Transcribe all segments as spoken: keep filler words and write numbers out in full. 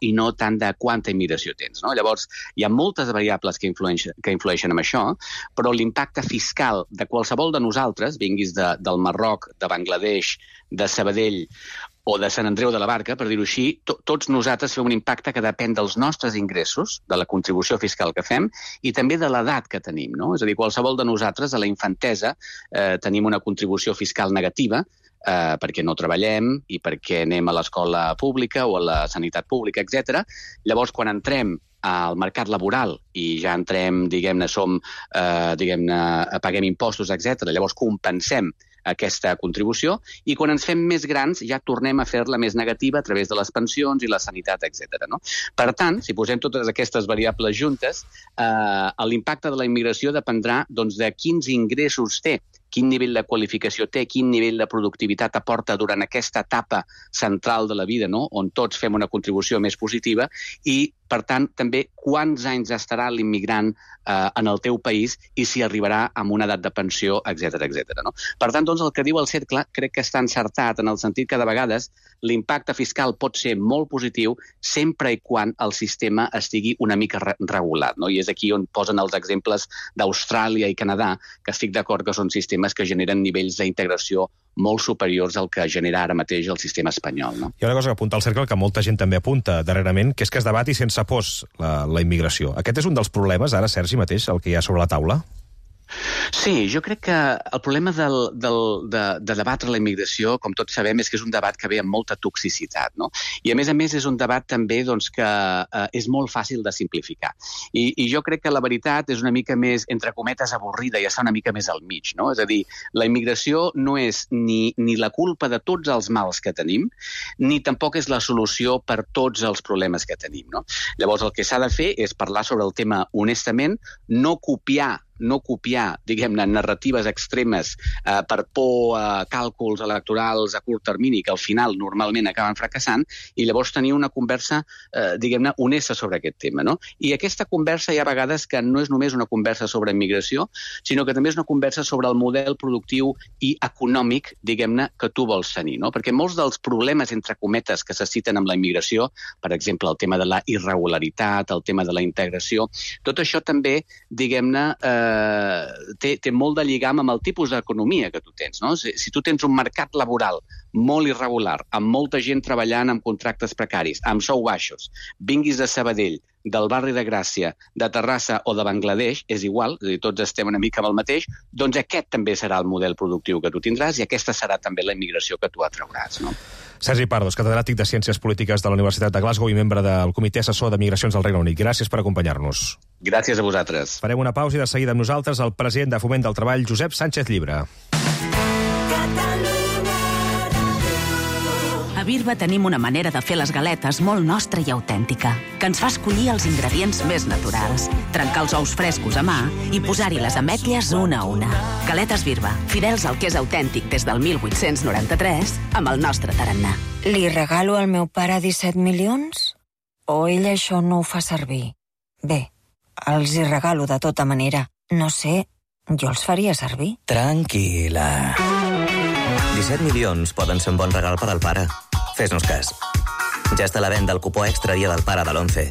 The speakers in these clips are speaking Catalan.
i no tant de quanta immigració tens, no? Llavors, hi ha moltes variables que influeixen, que influeixen en això, però l'impacte fiscal de qualsevol de nosaltres, vinguis de, del Marroc, de Bangladesh, de Sabadell o de Sant Andreu de la Barca, per dir-ho així, to, tots nosaltres fem un impacte que depèn dels nostres ingressos, de la contribució fiscal que fem, i també de l'edat que tenim, no? És a dir, qualsevol de nosaltres, a la infantesa, eh, tenim una contribució fiscal negativa, eh, perquè no treballem i perquè anem a l'escola pública o a la sanitat pública, etcètera. Llavors, quan entrem al mercat laboral i ja entrem, diguem-ne, som, eh, diguem-ne, paguem impostos, etcètera. Llavors compensem aquesta contribució i quan ens fem més grans ja tornem a fer-la més negativa a través de les pensions i la sanitat, etcètera. No? Per tant, si posem totes aquestes variables juntes, eh, l'impacte de la immigració dependrà doncs, de quins ingressos té, quin nivell de qualificació té, quin nivell de productivitat aporta durant aquesta etapa central de la vida, no? On tots fem una contribució més positiva i, per tant, també quants anys estarà l'immigrant eh, en el teu país i si arribarà amb una edat de pensió, etcètera, etcètera. No? Per tant, doncs, el que diu el cercle crec que està encertat en el sentit que de vegades l'impacte fiscal pot ser molt positiu sempre i quan el sistema estigui una mica re regulat. No? I és aquí on posen els exemples d'Austràlia i Canadà, que estic d'acord que són sistemes que generen nivells d'integració molt superiors al que genera ara mateix el sistema espanyol. No? Hi ha una cosa que apunta al cercle que molta gent també apunta darrerament, que és que es debati sense pors la, la immigració. Aquest és un dels problemes, ara, Sergi, mateix, el que hi ha sobre la taula? Sí, jo crec que el problema del, del, de, de debatre la immigració, com tots sabem, és que és un debat que ve amb molta toxicitat. No? I, a més a més, és un debat també doncs, que eh, és molt fàcil de simplificar. I, I jo crec que la veritat és una mica més, entre cometes, avorrida i està una mica més al mig. No? És a dir, la immigració no és ni, ni la culpa de tots els mals que tenim, ni tampoc és la solució per tots els problemes que tenim. No? Llavors, el que s'ha de fer és parlar sobre el tema honestament, no copiar no copiar, diguem-ne, narratives extremes eh, per por a càlculs electorals a curt termini que al final normalment acaben fracassant i llavors tenir una conversa, eh, diguem-ne, honesta sobre aquest tema. No? I aquesta conversa hi ha vegades que no és només una conversa sobre immigració, sinó que també és una conversa sobre el model productiu i econòmic, diguem-ne, que tu vols tenir. No? Perquè molts dels problemes, entre cometes, que se citen amb la immigració, per exemple, el tema de la irregularitat, el tema de la integració, tot això també, diguem-ne, eh, Té, té molt de lligam amb el tipus d'economia que tu tens. No? Si, si tu tens un mercat laboral molt irregular, amb molta gent treballant amb contractes precaris, amb sou baixos, vinguis de Sabadell, del barri de Gràcia, de Terrassa o de Bangladesh, és igual, és a dir, tots estem una mica amb el mateix, doncs aquest també serà el model productiu que tu tindràs i aquesta serà també la immigració que tu atrauràs. No? Sergi Pardos, catedràtic de Ciències Polítiques de la Universitat de Glasgow i membre del Comitè Assessor de Migracions del Regne Unit. Gràcies per acompanyar-nos. Gràcies a vosaltres. Farem una pausa i de seguida amb nosaltres el president de Foment del Treball, Josep Sánchez Llibre. A Birba tenim una manera de fer les galetes molt nostra i autèntica, que ens fa escollir els ingredients més naturals, trencar els ous frescos a mà i posar-hi les ametlles una a una. Galetes Birba, fidels al que és autèntic des del mil vuit-cents noranta-tres, amb el nostre tarannà. Li regalo al meu pare disset milions? O ell això no ho fa servir? Bé, els hi regalo de tota manera. No sé, jo els faria servir. Tranquil·la. disset milions poden ser un bon regal per al pare. Fes-nos cas. Ja està a la venda el cupó extra Dia del Pare de l'onze.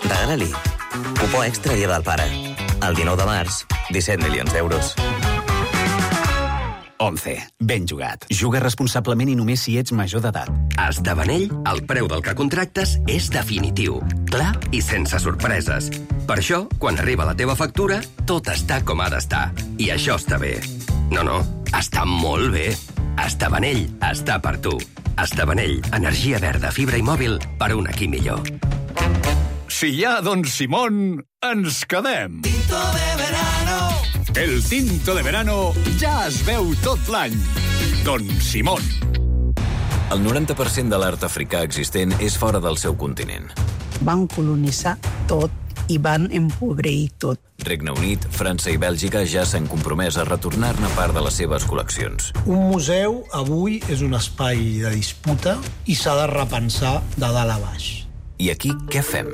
Regala-li. Cupó extra Dia del Pare. El dinou de març, disset milions d'euros. onze. Ben jugat. Juga responsablement i només si ets major d'edat. A Esdevenell, el preu del que contractes és definitiu, clar i sense sorpreses. Per això, quan arriba la teva factura, tot està com ha d'estar. I això està bé. No, no, està molt bé. Esdevenell està per tu. Esdevenell, energia verda, fibra i mòbil per un aquí millor. Si hi ha Don Simón, ens quedem. Tinto de verano. El tinto de verano ja es veu tot l'any. Don Simón. El noranta per cent de l'art africà existent és fora del seu continent. Van colonitzar tot i van empobrir tot. Regne Unit, França i Bèlgica ja s'han compromès a retornar-ne part de les seves col·leccions. Un museu avui és un espai de disputa i s'ha de repensar de dalt a baix. I aquí què fem?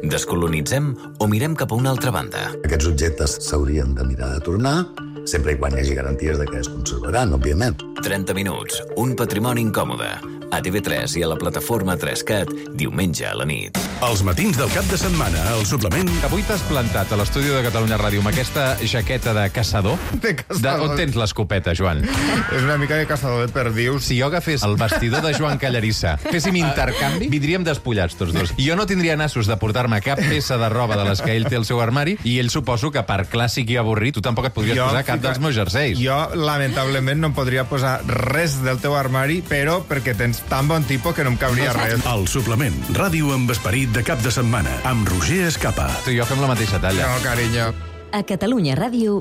Descolonitzem o mirem cap a una altra banda? Aquests objectes s'haurien de mirar de tornar, sempre i quan hi hagi garanties de que es conservaran, òbviament. trenta minuts, un patrimoni incòmode. A T V tres i a la plataforma tres cat, diumenge a la nit. Els matins del cap de setmana, al suplement... Avui t'has plantat a l'estudi de Catalunya Ràdio amb aquesta jaqueta de caçador. De caçador. De, on tens l'escopeta, Joan? És una mica de caçador de perdius. Si jo agafés el vestidor de Joan Callarissa, féssim intercanvi, vindríem despullats tots dos. I jo no tindria nassos de portar-me cap peça de roba de les que ell té al seu armari, i ell suposo que per clàssic i avorrit tu tampoc et podries jo, posar cap fica... dels meus jerseis. Jo, lamentablement, no em podria posar res del teu armari, però perquè tens tan bon tipus que no em cabria no res. El suplement, ràdio amb esperit de cap de setmana, amb Roger Escapa. Tu i jo fem la mateixa talla. No, carinyo. A Catalunya Ràdio...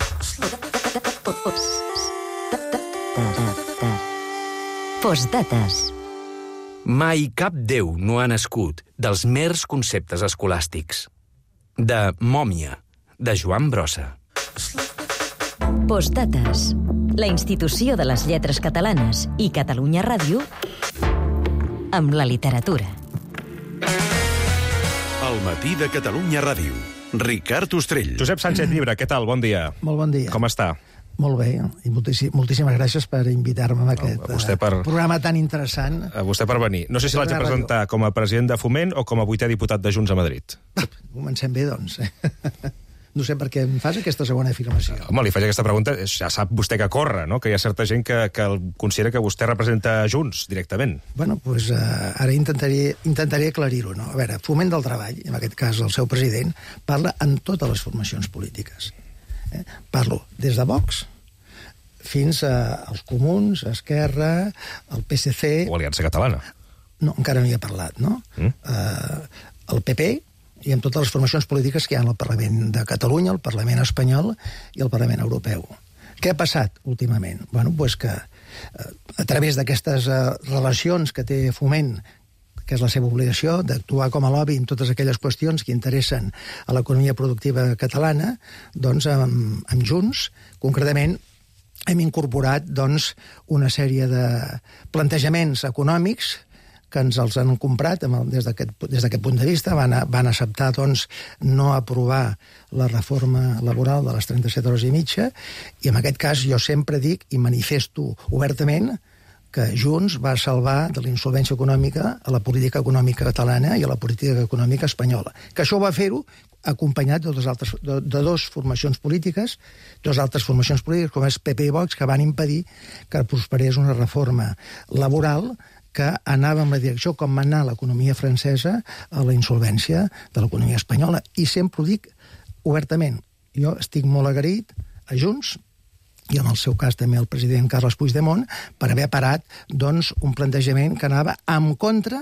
Postdates. Mai cap déu no ha nascut dels mers conceptes escolàstics. De Mòmia, de Joan Brossa. Postdates. La institució de les lletres catalanes i Catalunya Ràdio amb la literatura. El matí de Catalunya Ràdio. Ricard Ostrell. Josep Sánchez Llibre, què tal? Bon dia. Molt bon dia. Com està? Molt bé, i moltíssim, moltíssimes gràcies per invitar-me a aquest a per, programa tan interessant. A vostè per venir. No sé si l'haig de presentar com a president de Foment o com a vuitè diputat de Junts a Madrid. Comencem bé, doncs. No sé per què em fas aquesta segona afirmació. Home, li faig aquesta pregunta, ja sap vostè que corre, no? Que hi ha certa gent que, que considera que vostè representa Junts directament. Bueno, doncs uh, ara intentaré, intentaré aclarir-ho, no? A veure, Foment del Treball, en aquest cas el seu president, parla amb totes les formacions polítiques. Eh? Parlo des de Vox fins a, als Comuns, a Esquerra, al P S C... O Aliança Catalana. No, encara no hi ha parlat, no? Mm. Uh, el P P i amb totes les formacions polítiques que hi ha al Parlament de Catalunya, el Parlament espanyol i el Parlament europeu. Què ha passat últimament? Bueno, doncs que uh, a través d'aquestes uh, relacions que té Foment, que és la seva obligació d'actuar com a lobby en totes aquelles qüestions que interessen a l'economia productiva catalana, doncs amb, amb Junts, concretament, hem incorporat doncs, una sèrie de plantejaments econòmics que ens els han comprat des d'aquest punt de vista, van, a, van acceptar doncs, no aprovar la reforma laboral de les trenta-set hores i mitja, i en aquest cas jo sempre dic i manifesto obertament que Junts va salvar de la insolvència econòmica a la política econòmica catalana i a la política econòmica espanyola. Que això va fer-ho acompanyat de dos, altres, de, de dos formacions polítiques, dos altres formacions polítiques, com és P P i Vox, que van impedir que prosperés una reforma laboral que anava en la direcció com va anar l'economia francesa a la insolvència de l'economia espanyola. I sempre ho dic obertament. Jo estic molt agraït a Junts, i en el seu cas també el president Carles Puigdemont, per haver parat doncs, un plantejament que anava en contra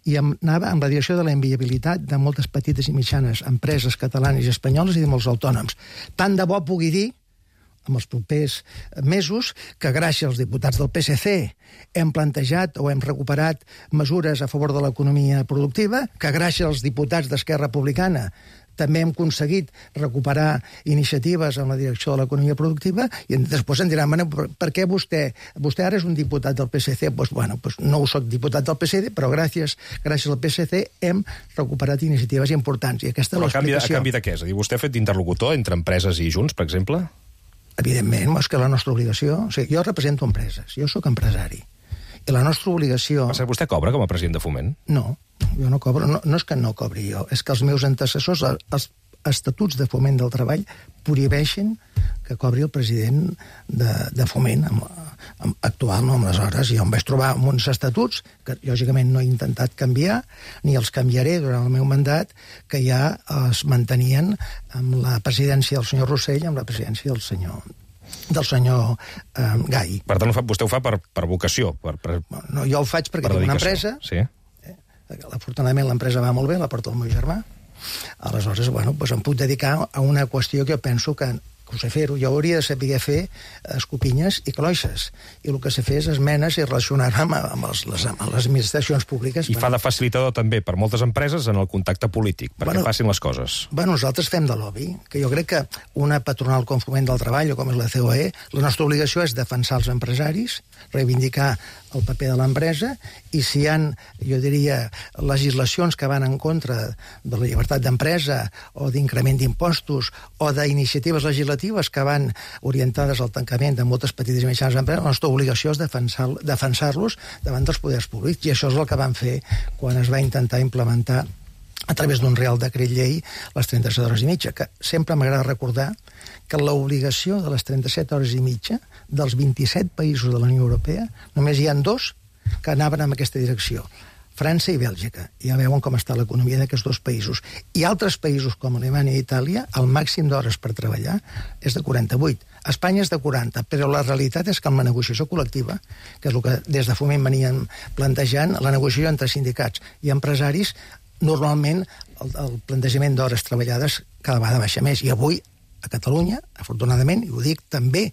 i anava en la direcció de la inviabilitat de moltes petites i mitjanes empreses catalanes i espanyoles i de molts autònoms. Tant de bo pugui dir, en els propers mesos, que gràcies als diputats del P S C hem plantejat o hem recuperat mesures a favor de l'economia productiva, que gràcies als diputats d'Esquerra Republicana també hem aconseguit recuperar iniciatives en la direcció de l'economia productiva, i després em diran, per, per què vostè, vostè ara és un diputat del P S C? Pues, bueno, pues no soc diputat del P S C, però gràcies, gràcies al P S C hem recuperat iniciatives importants. I aquesta però és l'explicació. A canvi de què? És a dir, vostè ha fet d'interlocutor entre empreses i Junts, per exemple? Evidentment, és que la nostra obligació... O sigui, jo represento empreses, jo sóc empresari. I la nostra obligació... Per cert, vostè cobra com a president de Foment? No, jo no cobro. No, no és que no cobri jo, és que els meus antecessors, els estatuts de Foment del Treball, prohibeixen que cobri el president de, de Foment amb, amb, actual, no? Aleshores, jo em vaig trobar amb uns estatuts que, lògicament, no he intentat canviar, ni els canviaré durant el meu mandat, que ja es mantenien amb la presidència del senyor Rossell i amb la presidència del senyor del senyor eh, Gai. Per tant, vostè ho fa per, per vocació? Per, per, no, jo ho faig perquè tinc una empresa. Sí. Eh, afortunadament l'empresa va molt bé, la porta el meu germà. Aleshores, bueno, doncs em puc dedicar a una qüestió que jo penso que, que ho sé fer-ho. Jo hauria de saber fer escopinyes i cloixes. I el que sé fer és esmenes i relacionar-me amb, amb, els, les, amb les administracions públiques. I fa de facilitador també per moltes empreses en el contacte polític, perquè bueno, passin les coses. Bueno, nosaltres fem de lobby, que jo crec que una patronal com Foment del Treball o com és la C O E, la nostra obligació és defensar els empresaris, reivindicar el paper de l'empresa, i si hi ha, jo diria, legislacions que van en contra de la llibertat d'empresa o d'increment d'impostos o d'iniciatives legislatives que van orientades al tancament de moltes petites i mitjanes empreses, la nostra obligació és defensar, defensar-los davant dels poders públics, i això és el que van fer quan es va intentar implementar a través d'un Real Decret Llei les trenta-set hores i mitja, que sempre m'agrada recordar que l'obligació de les trenta-set hores i mitja dels vint-i-set països de la Unió Europea, només hi ha dos que anaven en aquesta direcció, França i Bèlgica. Ja veuen com està l'economia d'aquests dos països. I altres països com Alemanya i Itàlia, el màxim d'hores per treballar és de quaranta-vuit. A Espanya és de quaranta, però la realitat és que amb la negociació col·lectiva, que és el que des de Foment veníem plantejant, la negociació entre sindicats i empresaris, normalment el, el plantejament d'hores treballades cada vegada baixa més. I avui, a Catalunya, afortunadament, i ho dic també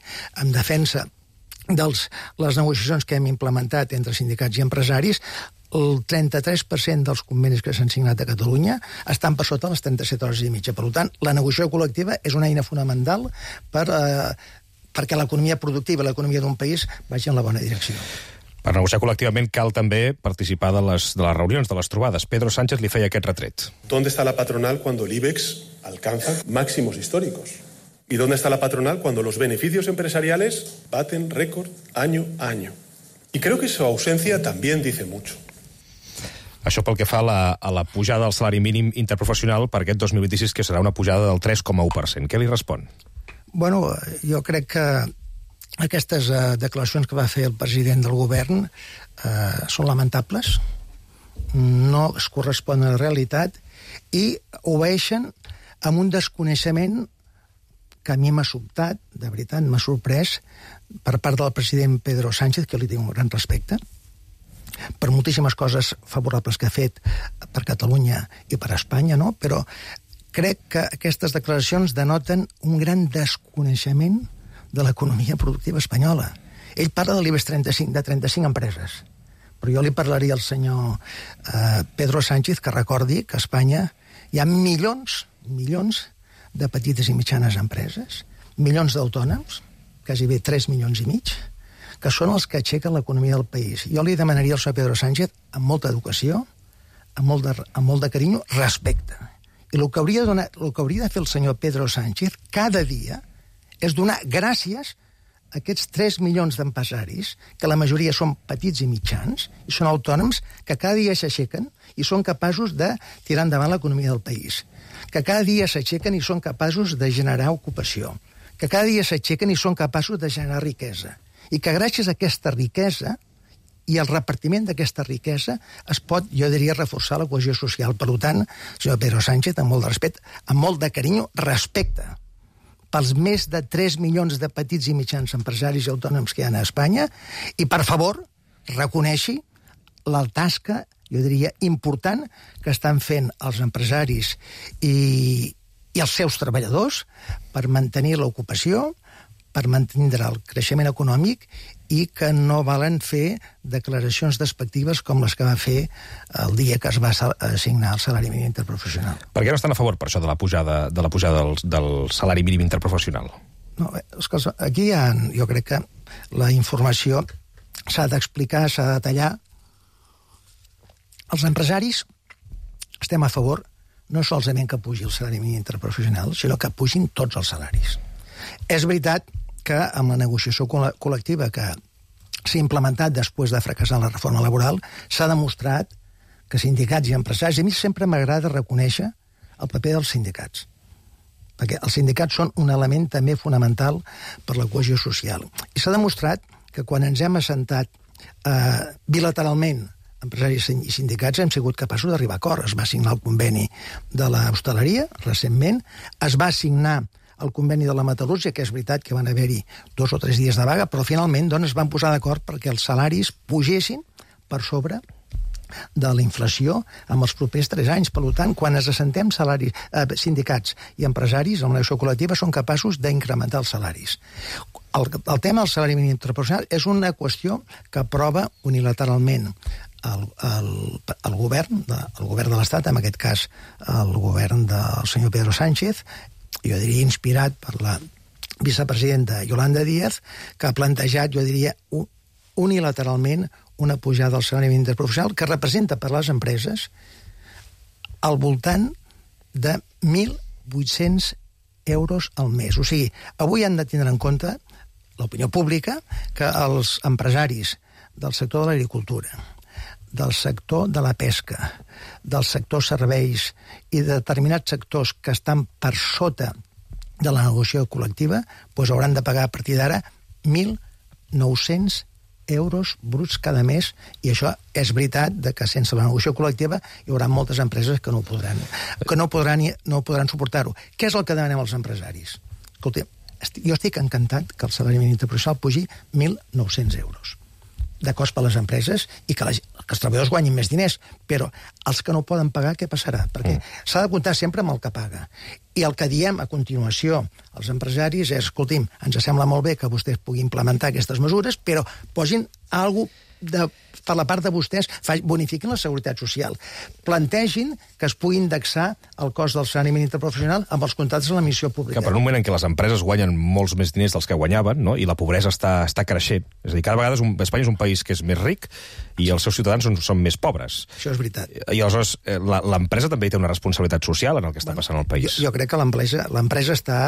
en defensa de les negociacions que hem implementat entre sindicats i empresaris, el trenta-tres per cent dels convenis que s'han signat a Catalunya estan per sota les trenta-set hores i mitja. Per tant, la negociació col·lectiva és una eina fonamental per, eh, perquè l'economia productiva i l'economia d'un país vagi en la bona direcció. Per negociar col·lectivament cal també participar de les, de les reunions, de les trobades. Pedro Sánchez li feia aquest retret. ¿Dónde está la patronal cuando el IBEX alcanza máximos históricos? ¿Y dónde está la patronal cuando los beneficios empresariales baten récord año a año? Y creo que su ausencia también dice mucho. Això pel que fa a la, a la pujada del salari mínim interprofessional per aquest dos mil vint-i-sis, que serà una pujada del tres coma u per cent. Què li respon? Bueno, jo crec que aquestes uh, declaracions que va fer el president del govern uh, són lamentables, no es corresponen a la realitat i obeeixen amb un desconeixement que a mi m'ha sobtat, de veritat, m'ha sorprès, per part del president Pedro Sánchez, que li tinc un gran respecte, per moltíssimes coses favorables que ha fet per Catalunya i per Espanya, no? Però crec que aquestes declaracions denoten un gran desconeixement de l'economia productiva espanyola. Ell parla de l'IBEX trenta-cinc, de trenta-cinc empreses. Però jo li parlaria al senyor eh, Pedro Sánchez que recordi que a Espanya hi ha milions, milions de petites i mitjanes empreses, milions d'autònoms, quasi bé tres milions i mig, que són els que aixequen l'economia del país. Jo li demanaria al senyor Pedro Sánchez, amb molta educació, amb molt de, amb molt de carinyo, respecte. I el que hauria de donar, el que hauria de fer el senyor Pedro Sánchez cada dia és donar gràcies a aquests tres milions d'empresaris, que la majoria són petits i mitjans, i són autònoms, que cada dia s'aixequen i són capaços de tirar endavant l'economia del país. Que cada dia s'aixequen i són capaços de generar ocupació. Que cada dia s'aixequen i són capaços de generar riquesa. I que gràcies a aquesta riquesa i el repartiment d'aquesta riquesa es pot, jo diria, reforçar la cohesió social. Per tant, senyor Pedro Sánchez, amb molt de respecte, amb molt de carinyo, respecte pels més de tres milions de petits i mitjans empresaris i autònoms que hi ha a Espanya i, per favor, reconeixi la tasca, jo diria, important que estan fent els empresaris i, i els seus treballadors per mantenir l'ocupació, per mantenir el creixement econòmic i que no valen fer declaracions despectives com les que va fer el dia que es va assignar el salari mínim interprofessional. Per què no estan a favor, per això, de la pujada, de la pujada del, del salari mínim interprofessional? No, és que aquí hi ha, jo crec que la informació s'ha d'explicar, s'ha de detallar. Els empresaris estem a favor no solament que pugi el salari mínim interprofessional, sinó que pugin tots els salaris. És veritat que amb la negociació col·lectiva que s'ha implementat després de fracassar la reforma laboral s'ha demostrat que sindicats i empresaris, a mi sempre m'agrada reconèixer el paper dels sindicats, perquè els sindicats són un element també fonamental per la cohesió social. I s'ha demostrat que quan ens hem assentat eh, bilateralment empresaris i sindicats hem sigut capaços d'arribar a acord. Es va signar el conveni de l'hostaleria recentment, es va signar el conveni de la metal·lúrgia, que és veritat que van haver-hi dos o tres dies de vaga, però finalment doncs, es van posar d'acord perquè els salaris pugessin per sobre de la inflació en els propers tres anys. Per tant, quan ens assentem salaris, eh, sindicats i empresaris en la negociació col·lectiva són capaços d'incrementar els salaris. El, el tema del salari mínim interprofessional és una qüestió que aprova unilateralment el, el, el govern, de, el govern de l'Estat, en aquest cas el govern del senyor Pedro Sánchez, jo diria inspirat per la vicepresidenta Yolanda Díaz, que ha plantejat, jo diria, unilateralment una pujada del salari mínim interprofessional que representa per les empreses al voltant de mil vuit-cents euros al mes. O sigui, avui han de tindre en compte l'opinió pública que els empresaris del sector de l'agricultura, del sector de la pesca, del sector serveis i de determinats sectors que estan per sota de la negociació col·lectiva, doncs hauran de pagar a partir d'ara mil nou-cents euros bruts cada mes, i això és veritat de que sense la negociació col·lectiva hi haurà moltes empreses que no podran, que no podran, no podran suportar-ho. Què és el que demanem als empresaris? Escolta, jo estic encantat que el salari mínim interprofessional pugi mil nou-cents euros de cost per a les empreses i que, la, que els treballadors guanyin més diners, però els que no poden pagar, què passarà? Perquè mm. s'ha de comptar sempre amb el que paga. I el que diem a continuació als empresaris és, escolti'm, ens sembla molt bé que vostès puguin implementar aquestes mesures, però posin alguna cosa de, per la part de vostès, bonifiquin la seguretat social. Plantegin que es pugui indexar el cost del salari mínim interprofessional amb els contractes de l'emissió pública. Que per un moment en què les empreses guanyen molts més diners dels que guanyaven, no? I la pobresa està, està creixent. És a dir, cada vegada és un, Espanya és un país que és més ric i els seus ciutadans són, són més pobres. Això és veritat. I aleshores l'empresa també té una responsabilitat social en el que està bueno, passant al país. Jo, jo crec que l'empresa està,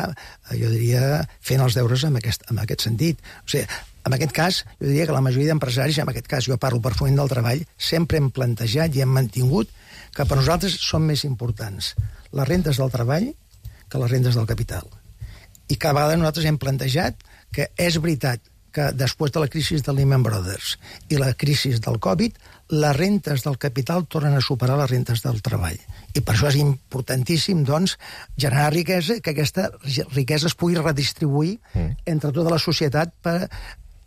jo diria, fent els deures en aquest, en aquest sentit. O sigui, en aquest cas, jo diria que la majoria d'empresaris, en aquest cas jo parlo per Foment del Treball, sempre hem plantejat i hem mantingut que per nosaltres són més importants les rendes del treball que les rendes del capital. I cada vegada nosaltres hem plantejat que és veritat que després de la crisi de Lehman Brothers i la crisi del Covid, les rentes del capital tornen a superar les rentes del treball. I per això és importantíssim, doncs, generar riquesa, que aquesta riquesa es pugui redistribuir mm. entre tota la societat per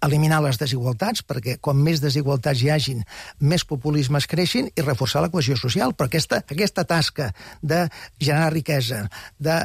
eliminar les desigualtats, perquè com més desigualtats hi hagin, més populismes creixin i reforçar la cohesió social. Però aquesta, aquesta tasca de generar riquesa, de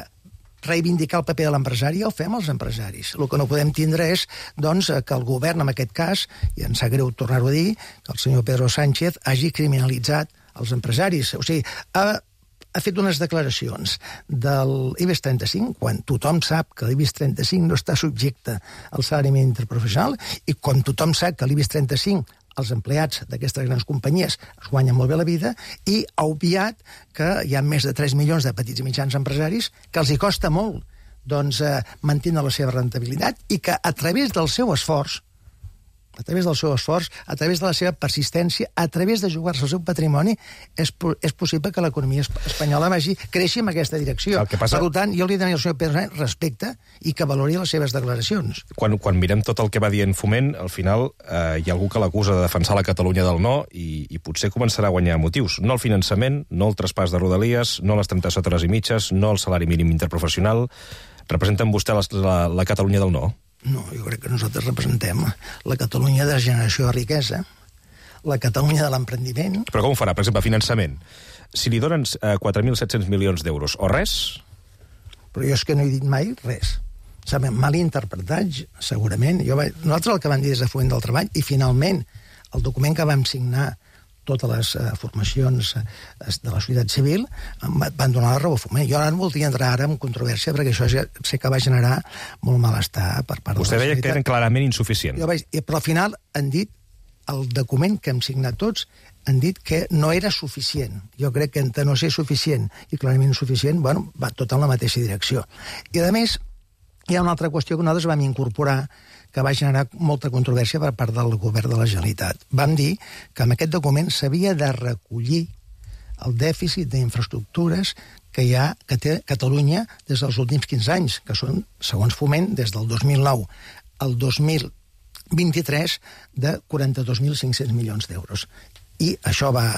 reivindicar el paper de l'empresari, ja ho fem els empresaris. El que no podem tindre és doncs, que el govern, en aquest cas, i ens sap greu tornar-ho a dir, que el senyor Pedro Sánchez hagi criminalitzat els empresaris. O sigui, ha, ha fet unes declaracions del IBEX trenta-cinc, quan tothom sap que l'IBEX trenta-cinc no està subjecte al salari mínim interprofessional, i quan tothom sap que l'IBEX trenta-cinc els empleats d'aquestes grans companyies es guanyen molt bé la vida, i ha obviat que hi ha més de tres milions de petits i mitjans empresaris que els hi costa molt doncs, eh, mantenir la seva rentabilitat, i que a través del seu esforç, a través del seu esforç, a través de la seva persistència, a través de jugar-se el seu patrimoni, és, és possible que l'economia espanyola vagi creixi en aquesta direcció. Passa... Per tant, jo li demano al senyor Pedro Sánchez respecte i que valori les seves declaracions. Quan, quan mirem tot el que va dient Foment, al final eh, hi ha algú que l'acusa de defensar la Catalunya del no, i, i potser començarà a guanyar motius. No el finançament, no el traspàs de Rodalies, no les trenta-set hores i mitges, no el salari mínim interprofessional. Representen vostè la, la, la Catalunya del no? No, jo crec que nosaltres representem la Catalunya de generació de riquesa, la Catalunya de l'emprendiment... Però com ho farà? Per exemple, finançament. Si li donen eh, quatre mil set-cents milions d'euros, o res? Però jo és que no he dit mai res. S'ha mal interpretat, segurament. Jo vaig... Nosaltres el que vam dir des de Foment del Treball, i finalment el document que vam signar totes les uh, formacions uh, de la societat civil van donar la raó a Foment. Jo ara no voldria entrar ara en controvèrsia, perquè això ja sé que va generar molt malestar per part Vostè de la societat. Vostè deia que eren clarament insuficients. Jo vaig, però al final han dit, el document que hem signat tots, han dit que no era suficient. Jo crec que entre no ser suficient i clarament insuficient, bueno, va tot en la mateixa direcció. I a més, hi ha una altra qüestió que nosaltres vam incorporar, que va generar molta controvèrsia per part del govern de la Generalitat. Vam dir que en aquest document s'havia de recollir el dèficit d'infraestructures que hi ha, que té Catalunya des dels últims quinze anys, que són, segons Foment, des del dos mil nou al dos mil vint-i-tres, de quaranta-dos mil cinc-cents milions d'euros. I això va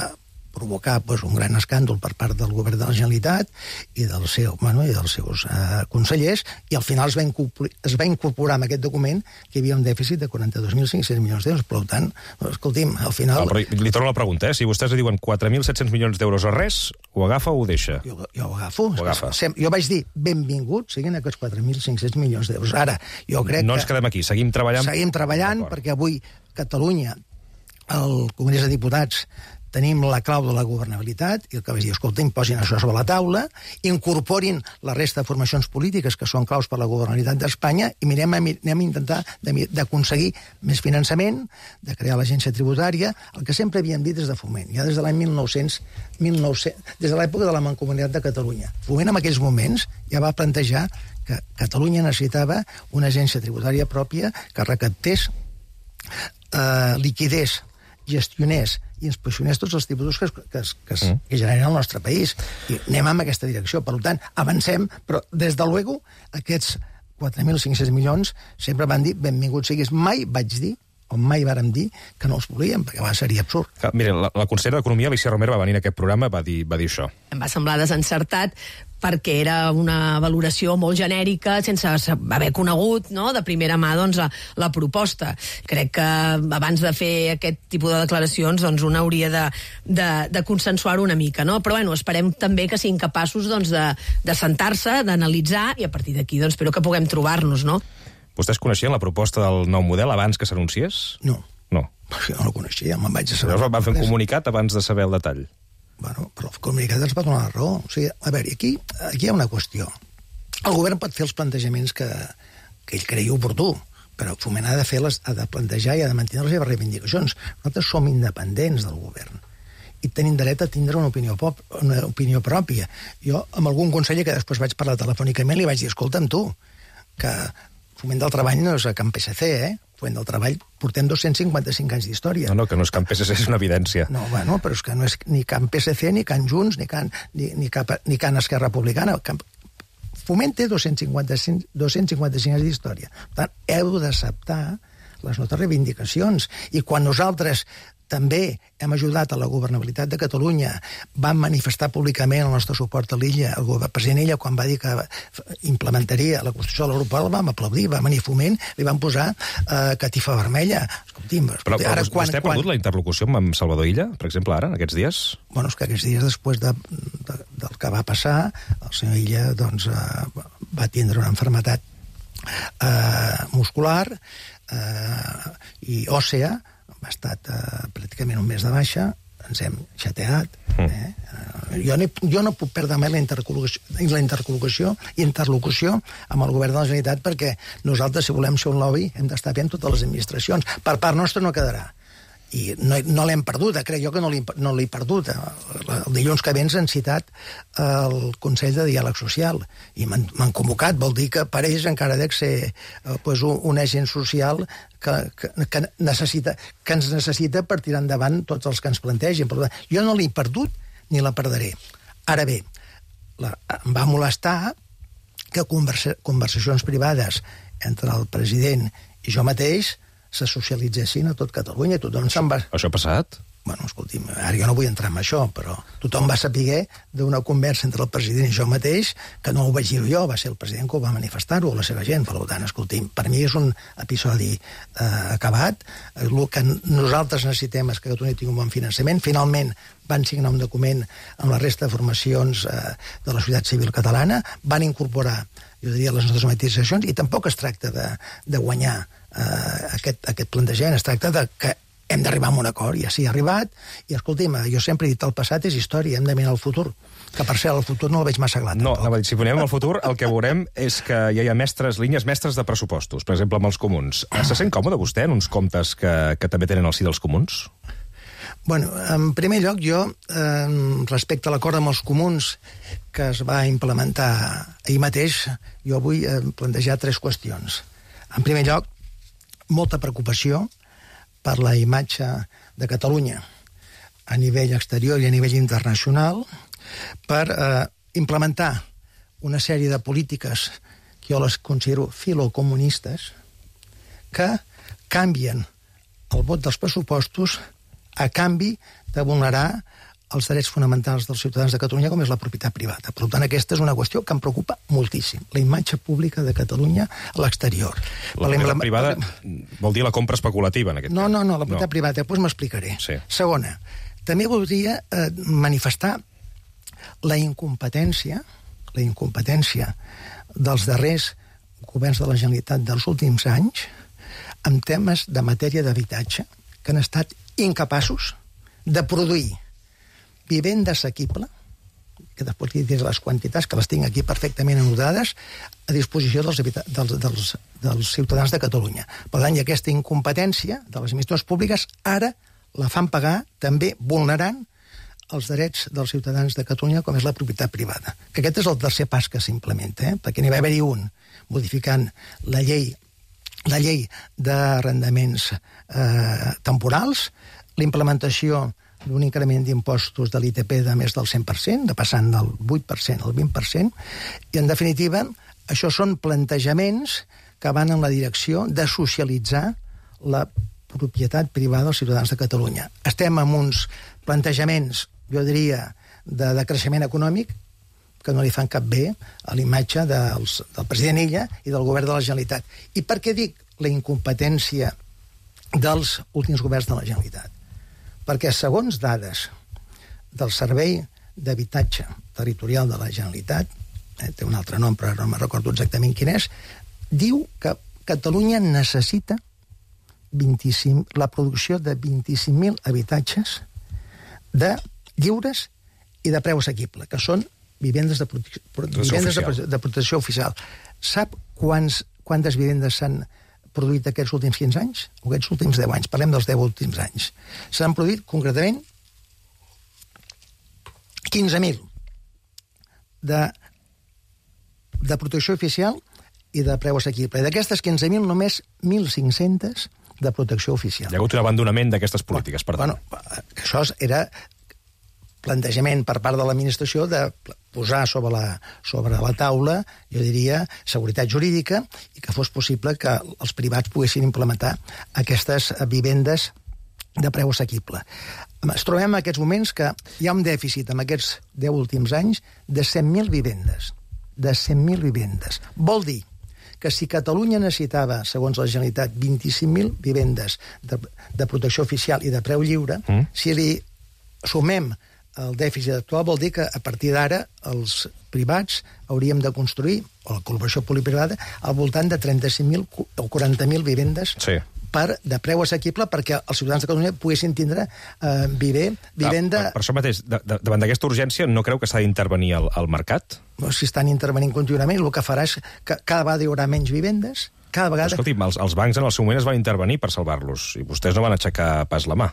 provocar pues, un gran escàndol per part del govern de la Generalitat i, del seu, bueno, i dels seus eh, consellers, i al final es va, es va incorporar en aquest document que hi havia un dèficit de quaranta-dos mil cinc-cents milions d'euros. Per tant, escolti'm, al final... No, li torno la pregunta, eh? Si vostès diuen quatre mil set-cents milions d'euros o res, ho agafa o ho deixa? Jo, jo ho agafo. Ho agafa. Jo vaig dir, benvingut, siguin aquests quatre mil cinc-cents milions d'euros. Ara, jo crec no que... ens quedem aquí, seguim treballant... Seguim treballant, perquè avui Catalunya, el Congrés de Diputats, tenim la clau de la governabilitat, i el que vaig dir, escolta, imposin això sobre la taula, incorporin la resta de formacions polítiques que són claus per la governabilitat d'Espanya, i mirem, anem a intentar d'aconseguir més finançament, de crear l'agència tributària, el que sempre havíem dit des de Foment, ja des de l'any mil nou-cents, mil nou-cents, des de l'època de la Mancomunitat de Catalunya. Foment en aquells moments ja va plantejar que Catalunya necessitava una agència tributària pròpia que recaptés, eh, liquidés, gestionés i inspeccionés tots els tributs que, que, que, mm. que generen al nostre país. I anem en aquesta direcció. Per tant, avancem, però des de luego aquests quatre mil cinc-cents milions sempre van dir benvinguts siguis. Mai vaig dir, o mai vàrem dir, que no els volíem, perquè va, seria absurd. Ah, miren, la, la consellera d'Economia, Alícia Romero, va venir a aquest programa, va dir, va dir això. Em va semblar desencertat, perquè era una valoració molt genèrica, sense haver conegut, no?, de primera mà, doncs, la, la proposta. Crec que abans de fer aquest tipus de declaracions, doncs, un hauria de, de, de consensuar-ho una mica, no? Però, bueno, esperem també que siguin capaços, doncs, de, de sentar-se, d'analitzar, i a partir d'aquí, doncs, espero que puguem trobar-nos, no? Vostès coneixien la proposta del nou model abans que s'anunciés? No. No. Jo no la coneixia, me'n vaig a saber. Llavors van fer un comunicat abans de saber el detall. Bueno, però el comunicat ens va donar la raó. O sigui, a veure, aquí, aquí hi ha una qüestió. El govern pot fer els plantejaments que, que ell cregui oportú, però Foment ha de fer les, ha de plantejar i ha de mantenir les seves reivindicacions. Nosaltres som independents del govern i tenim dret a tindre una opinió, pop, una opinió pròpia. Jo, amb algun conseller que després vaig parlar telefònicament, li vaig dir, escolta'm tu, que Foment del Treball no és a Can P S C, eh? Foment del Treball portem dos-cents cinquanta-cinc anys d'història. No, no, que no és Can P S C, és una evidència. No, bueno, però és que no és ni Can P S C, ni Can Junts, ni Can, ni, ni, cap, ni Can Esquerra Republicana. Can... Foment té dos-cents cinquanta-cinc, dos-cents cinquanta-cinc anys d'història. Per tant, heu d'acceptar les nostres reivindicacions. I quan nosaltres també hem ajudat a la governabilitat de Catalunya, vam manifestar públicament el nostre suport a l'Illa, el president Illa, quan va dir que implementaria la Constitució de l'Europol, vam aplaudir, va venir Foment, li van posar eh, catifa vermella. Escolti'm, però, però ara, quan, vostè ha perdut quan... la interlocució amb Salvador Illa, per exemple, ara, aquests dies? Bueno, és que aquests dies, després de, de, del que va passar, el senyor Illa doncs, eh, va tindre una enfermetat eh, muscular eh, i òssea, ha estat uh, pràcticament un mes de baixa, ens hem xateat. Eh? Uh, jo, no, jo no puc perdre mai la interlocució, la interlocució, interlocució amb el govern de la Generalitat, perquè nosaltres, si volem ser un lobby, hem d'estar bé en totes les administracions. Per part nostra no quedarà. I no, no l'hem perdut, crec jo que no l'he no l'he perdut. El dilluns que ve ens han citat el Consell de Diàleg Social i m'han convocat, vol dir que per ells encara dec ser eh, pues, un, un agent social que, que, que, necessita, que ens necessita per tirar endavant tots els que ens plantegin. Però jo no l'he perdut ni la perdré. Ara bé, la, em va molestar que conversa, conversacions privades entre el president i jo mateix se socialitzessin a tot Catalunya. Tothom se'n va... Això ha passat? Bueno, escolti'm, ara jo no vull entrar en això, però tothom va saber d'una conversa entre el president i jo mateix, que no ho vaig dir jo, va ser el president que ho va manifestar-ho, la seva gent. Per tant, escolti'm, per mi és un episodi eh, acabat. El que nosaltres necessitem és que Catalunya tingui un bon finançament. Finalment van signar un document amb la resta de formacions eh, de la societat civil catalana, van incorporar, jo diria, les nostres matisacions, i tampoc es tracta de, de guanyar Uh, aquest, aquest plantejament, es tracta de que hem d'arribar a un acord, i així ha arribat, i escolti'm, jo sempre he dit el passat és història, hem de mirar el futur, que per ser el futur no el veig massa clar. No, no, si mirem el futur, el que veurem és que ja hi ha mestres, línies mestres de pressupostos, per exemple, amb els comuns. Se sent còmode vostè en uns comptes que, que també tenen al si dels comuns? Bueno, en primer lloc, jo, eh, respecte a l'acord amb els comuns que es va implementar ahir mateix, jo vull eh, plantejar tres qüestions. En primer lloc, molta preocupació per la imatge de Catalunya a nivell exterior i a nivell internacional, per eh, implementar una sèrie de polítiques que jo les considero filocomunistes, que canvien el vot dels pressupostos a canvi de vulnerar els drets fonamentals dels ciutadans de Catalunya, com és la propietat privada. Per tant, aquesta és una qüestió que em preocupa moltíssim, la imatge pública de Catalunya a l'exterior. La propietat privada vol dir la compra especulativa, en aquest no, cas. No, no, la propietat no. privada, després m'explicaré. Sí. Segona, també voldria eh, manifestar la incompetència, la incompetència dels darrers governs de la Generalitat dels últims anys en temes de matèria d'habitatge, que han estat incapaços de produir vivenda assequible, que després li diré les quantitats, que les tinc aquí perfectament anotades, a disposició dels, dels, dels, dels ciutadans de Catalunya. Per tant, hi ha aquesta incompetència de les administracions públiques, ara la fan pagar també vulnerant els drets dels ciutadans de Catalunya, com és la propietat privada. Que aquest és el tercer pas que s'implementa, eh? perquè n'hi va haver-hi un, modificant la llei, la llei d'arrendaments eh, temporals, la implementació d'un increment d'impostos de l'I T P de més del cent per cent, de passant del vuit per cent al vint per cent, i en definitiva, això són plantejaments que van en la direcció de socialitzar la propietat privada dels ciutadans de Catalunya. Estem amb uns plantejaments, jo diria, de, de creixement econòmic que no li fan cap bé a l'imatge dels, del president Illa i del govern de la Generalitat. I per què dic la incompetència dels últims governs de la Generalitat? Perquè, segons dades del Servei d'Habitatge Territorial de la Generalitat, eh, té un altre nom, però no me recordo exactament quin és, diu que Catalunya necessita vint-i-cinc, la producció de vint-i-cinc mil habitatges de lliures i de preu assequible, que són vivendes de, prote vivendes de, de protecció oficial. Sap quants, quantes vivendes s'han produït aquests últims quinze anys? O aquests últims deu anys? Parlem dels deu últims anys. S'han produït, concretament, quinze mil de, de protecció oficial i de preu assequible. I d'aquestes quinze mil, només mil cinc-cents de protecció oficial. Hi ha hagut un abandonament d'aquestes polítiques, per tant. Bueno, això era plantejament per part de l'administració de posar sobre la, sobre la taula, jo diria, seguretat jurídica, i que fos possible que els privats poguessin implementar aquestes vivendes de preu assequible. Es trobem en aquests moments que hi ha un dèficit en aquests deu últims anys de cent mil vivendes. De cent mil vivendes. Vol dir que si Catalunya necessitava, segons la Generalitat, vint-i-cinc mil vivendes de, de protecció oficial i de preu lliure, mm. si li sumem el dèficit actual, vol dir que a partir d'ara els privats hauríem de construir, o la col·laboració pública-privada, al voltant de trenta-cinc mil o quaranta mil vivendes sí. per, de preu assequible, perquè els ciutadans de Catalunya poguessin tindre eh, viver, vivenda... Ah, per, per això mateix, de, de, davant d'aquesta urgència, no creu que s'ha d'intervenir al, al mercat? Si estan intervenint contínuament, el que farà és que cada vegada hi haurà menys vivendes, cada vegada... Escolti, els, els bancs en el seu moment es van intervenir per salvar-los, i vostès no van aixecar pas la mà.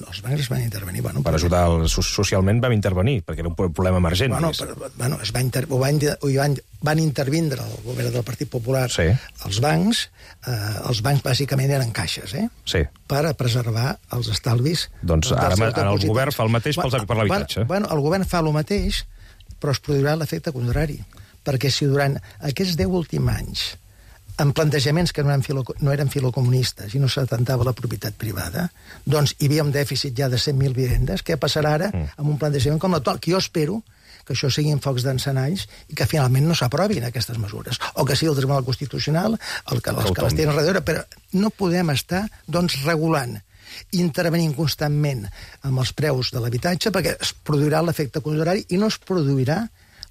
Els bancs es van intervenir. Bueno, per ajudar el, socialment vam intervenir, perquè era un problema emergent. Bueno, però, bueno es va inter, van, van, van intervindre el govern del Partit Popular, sí. els bancs, eh, els bancs bàsicament eren caixes, eh? Sí. Per a preservar els estalvis. Doncs ara el govern fa el mateix pels, per l'habitatge. Bueno, el govern fa el mateix, però es produirà l'efecte contrari. Perquè si durant aquests deu últims anys en plantejaments que no eren, filo, no eren filocomunistes i no s'atentava la propietat privada, doncs hi havia un dèficit ja de cent mil vivendes. Què passarà ara mm. amb un plantejament com l'actual? Que jo espero que això siguin focs d'encenalls i que finalment no s'aprovin aquestes mesures. O que sigui el Tribunal Constitucional el que, els que les tenen darrere, però no podem estar doncs, regulant, intervenint constantment amb els preus de l'habitatge, perquè es produirà l'efecte contrari i no es produirà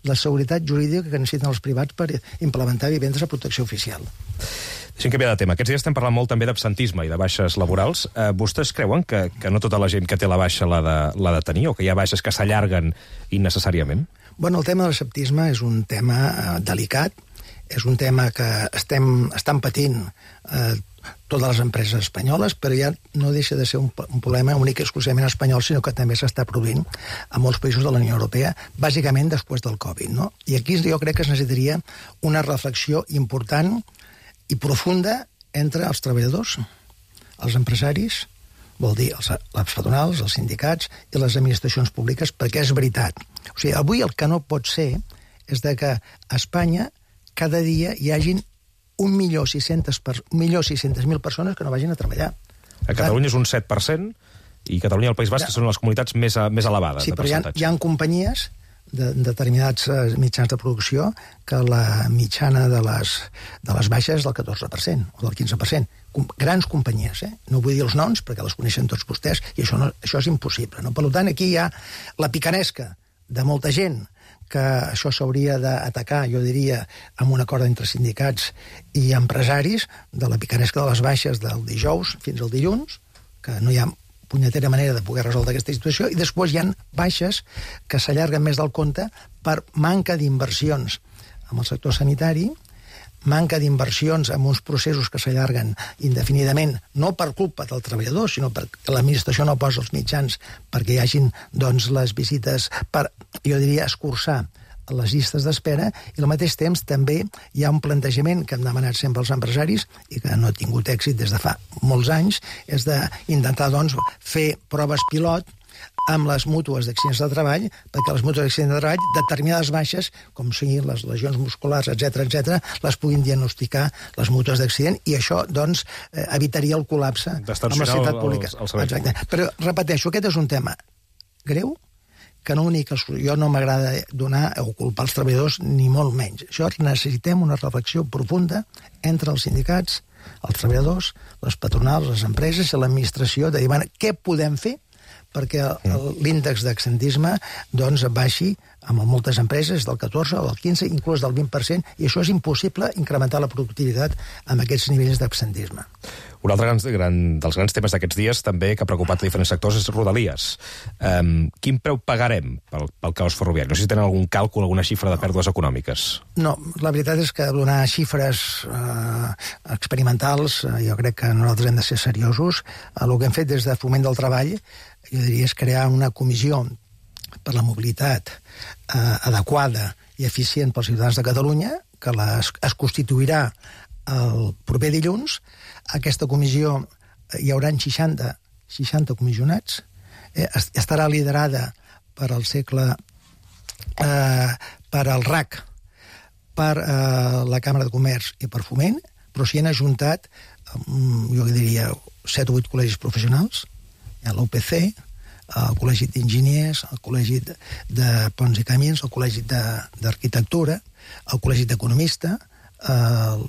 la seguretat jurídica que necessiten els privats per implementar vivendes a protecció oficial. Deixem canviar de tema. Aquests dies estem parlant molt també d'absentisme i de baixes laborals. Eh, vostès creuen que, que no tota la gent que té la baixa l'ha de, l'ha de tenir, o que hi ha baixes que s'allarguen innecessàriament? Bueno, el tema de l'absentisme és un tema eh, delicat, és un tema que estem, estan patint eh, totes les empreses espanyoles, però ja no deixa de ser un, un problema únic i exclusivament espanyol, sinó que també s'està produint a molts països de la Unió Europea, bàsicament després del Covid, no? I aquí jo crec que es necessitaria una reflexió important i profunda entre els treballadors, els empresaris, vol dir els, les patronals, els sindicats i les administracions públiques, perquè és veritat. O sigui, avui el que no pot ser és de que a Espanya cada dia hi hagin un milió sis-centes mil persones que no vagin a treballar. A Catalunya és un set per cent i Catalunya i el País Basc ja. són les comunitats més, més elevades sí, de percentatge. Sí, però hi ha, hi ha companyies de, de determinats mitjans de producció que la mitjana de les, de les baixes és del catorze per cent o del quinze per cent. Com, grans companyies, eh? No vull dir els noms perquè les coneixen tots vostès i això, no, això és impossible. No? Per tant, aquí hi ha la picaresca de molta gent que això s'hauria d'atacar, jo diria, amb un acord entre sindicats i empresaris, de la picaresca de les baixes del dijous fins al dilluns, que no hi ha punyetera manera de poder resoldre aquesta situació, i després hi ha baixes que s'allarguen més del compte per manca d'inversions en el sector sanitari, manca d'inversions en uns processos que s'allarguen indefinidament, no per culpa del treballador, sinó perquè l'administració no posa els mitjans perquè hi hagin doncs, les visites per, jo diria, escurçar les llistes d'espera, i al mateix temps també hi ha un plantejament que hem demanat sempre als empresaris i que no ha tingut èxit des de fa molts anys, és d'intentar doncs, fer proves pilot amb les mútues d'accidents de treball, perquè les mútues d'accidents de treball, determinades baixes, com siguin les lesions musculars, etcètera, etcètera, les puguin diagnosticar les mútues d'accident, i això, doncs, eh, evitaria el col·lapse amb la sanitat pública. El, el Exacte. Però, repeteixo, aquest és un tema greu, que no únic, jo no m'agrada donar o culpar els treballadors, ni molt menys. Això necessitem una reflexió profunda entre els sindicats, els treballadors, les patronals, les empreses i l'administració, de dir, bueno, què podem fer perquè l'índex d'absentisme doncs, baixi amb moltes empreses del catorze o del quinze, inclús del vint per cent, i això és impossible incrementar la productivitat amb aquests nivells d'absentisme. Un altre gran, gran, dels grans temes d'aquests dies també que ha preocupat a diferents sectors és Rodalies. Um, quin preu pagarem pel, pel caos ferroviari? No sé si tenen algun càlcul, alguna xifra de pèrdues econòmiques. No, la veritat és que donar xifres eh, experimentals, eh, jo crec que nosaltres hem de ser seriosos. Eh, el que hem fet des de Foment del Treball, jo diria, és crear una comissió per la mobilitat eh, adequada i eficient pels ciutadans de Catalunya, que les, es constituirà el proper dilluns. Aquesta comissió hi haurà seixanta, seixanta comissionats, eh, estarà liderada per al segle, eh, per al R A C, per eh, la Càmera de Comerç i per Foment, però s'hi han ajuntat, eh, jo diria, set o vuit col·legis professionals, hi ha l'U P C, el Col·legi d'Enginyers, el Col·legi de Ponts i Camins, el Col·legi d'Arquitectura, el Col·legi d'Economista, el,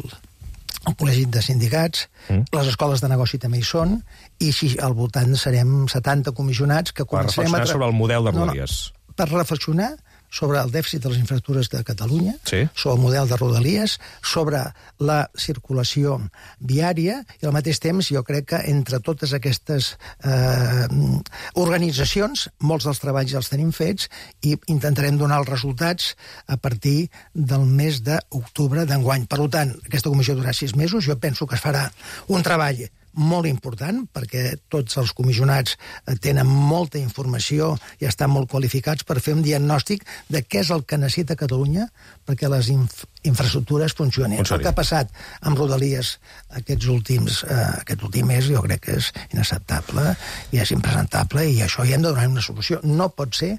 el Col·legi de Sindicats, mm. les escoles de negoci també hi són, i si al voltant serem setanta comissionats que començarem per reflexionar a... sobre el model de Rodalies. No, no, per reflexionar sobre el dèficit de les infraestructures de Catalunya, sí. sobre el model de Rodalies, sobre la circulació viària, i al mateix temps jo crec que entre totes aquestes eh, organitzacions, molts dels treballs ja els tenim fets, i intentarem donar els resultats a partir del mes d'octubre d'enguany. Per tant, aquesta comissió durarà sis mesos, jo penso que es farà un treball molt important, perquè tots els comissionats tenen molta informació i estan molt qualificats per fer un diagnòstic de què és el que necessita Catalunya perquè les inf infraestructures funcionin. El que ha passat amb Rodalies aquests últims, eh, aquest últim mes jo crec que és inacceptable i és impresentable, i això hi hem de donar una solució. No pot ser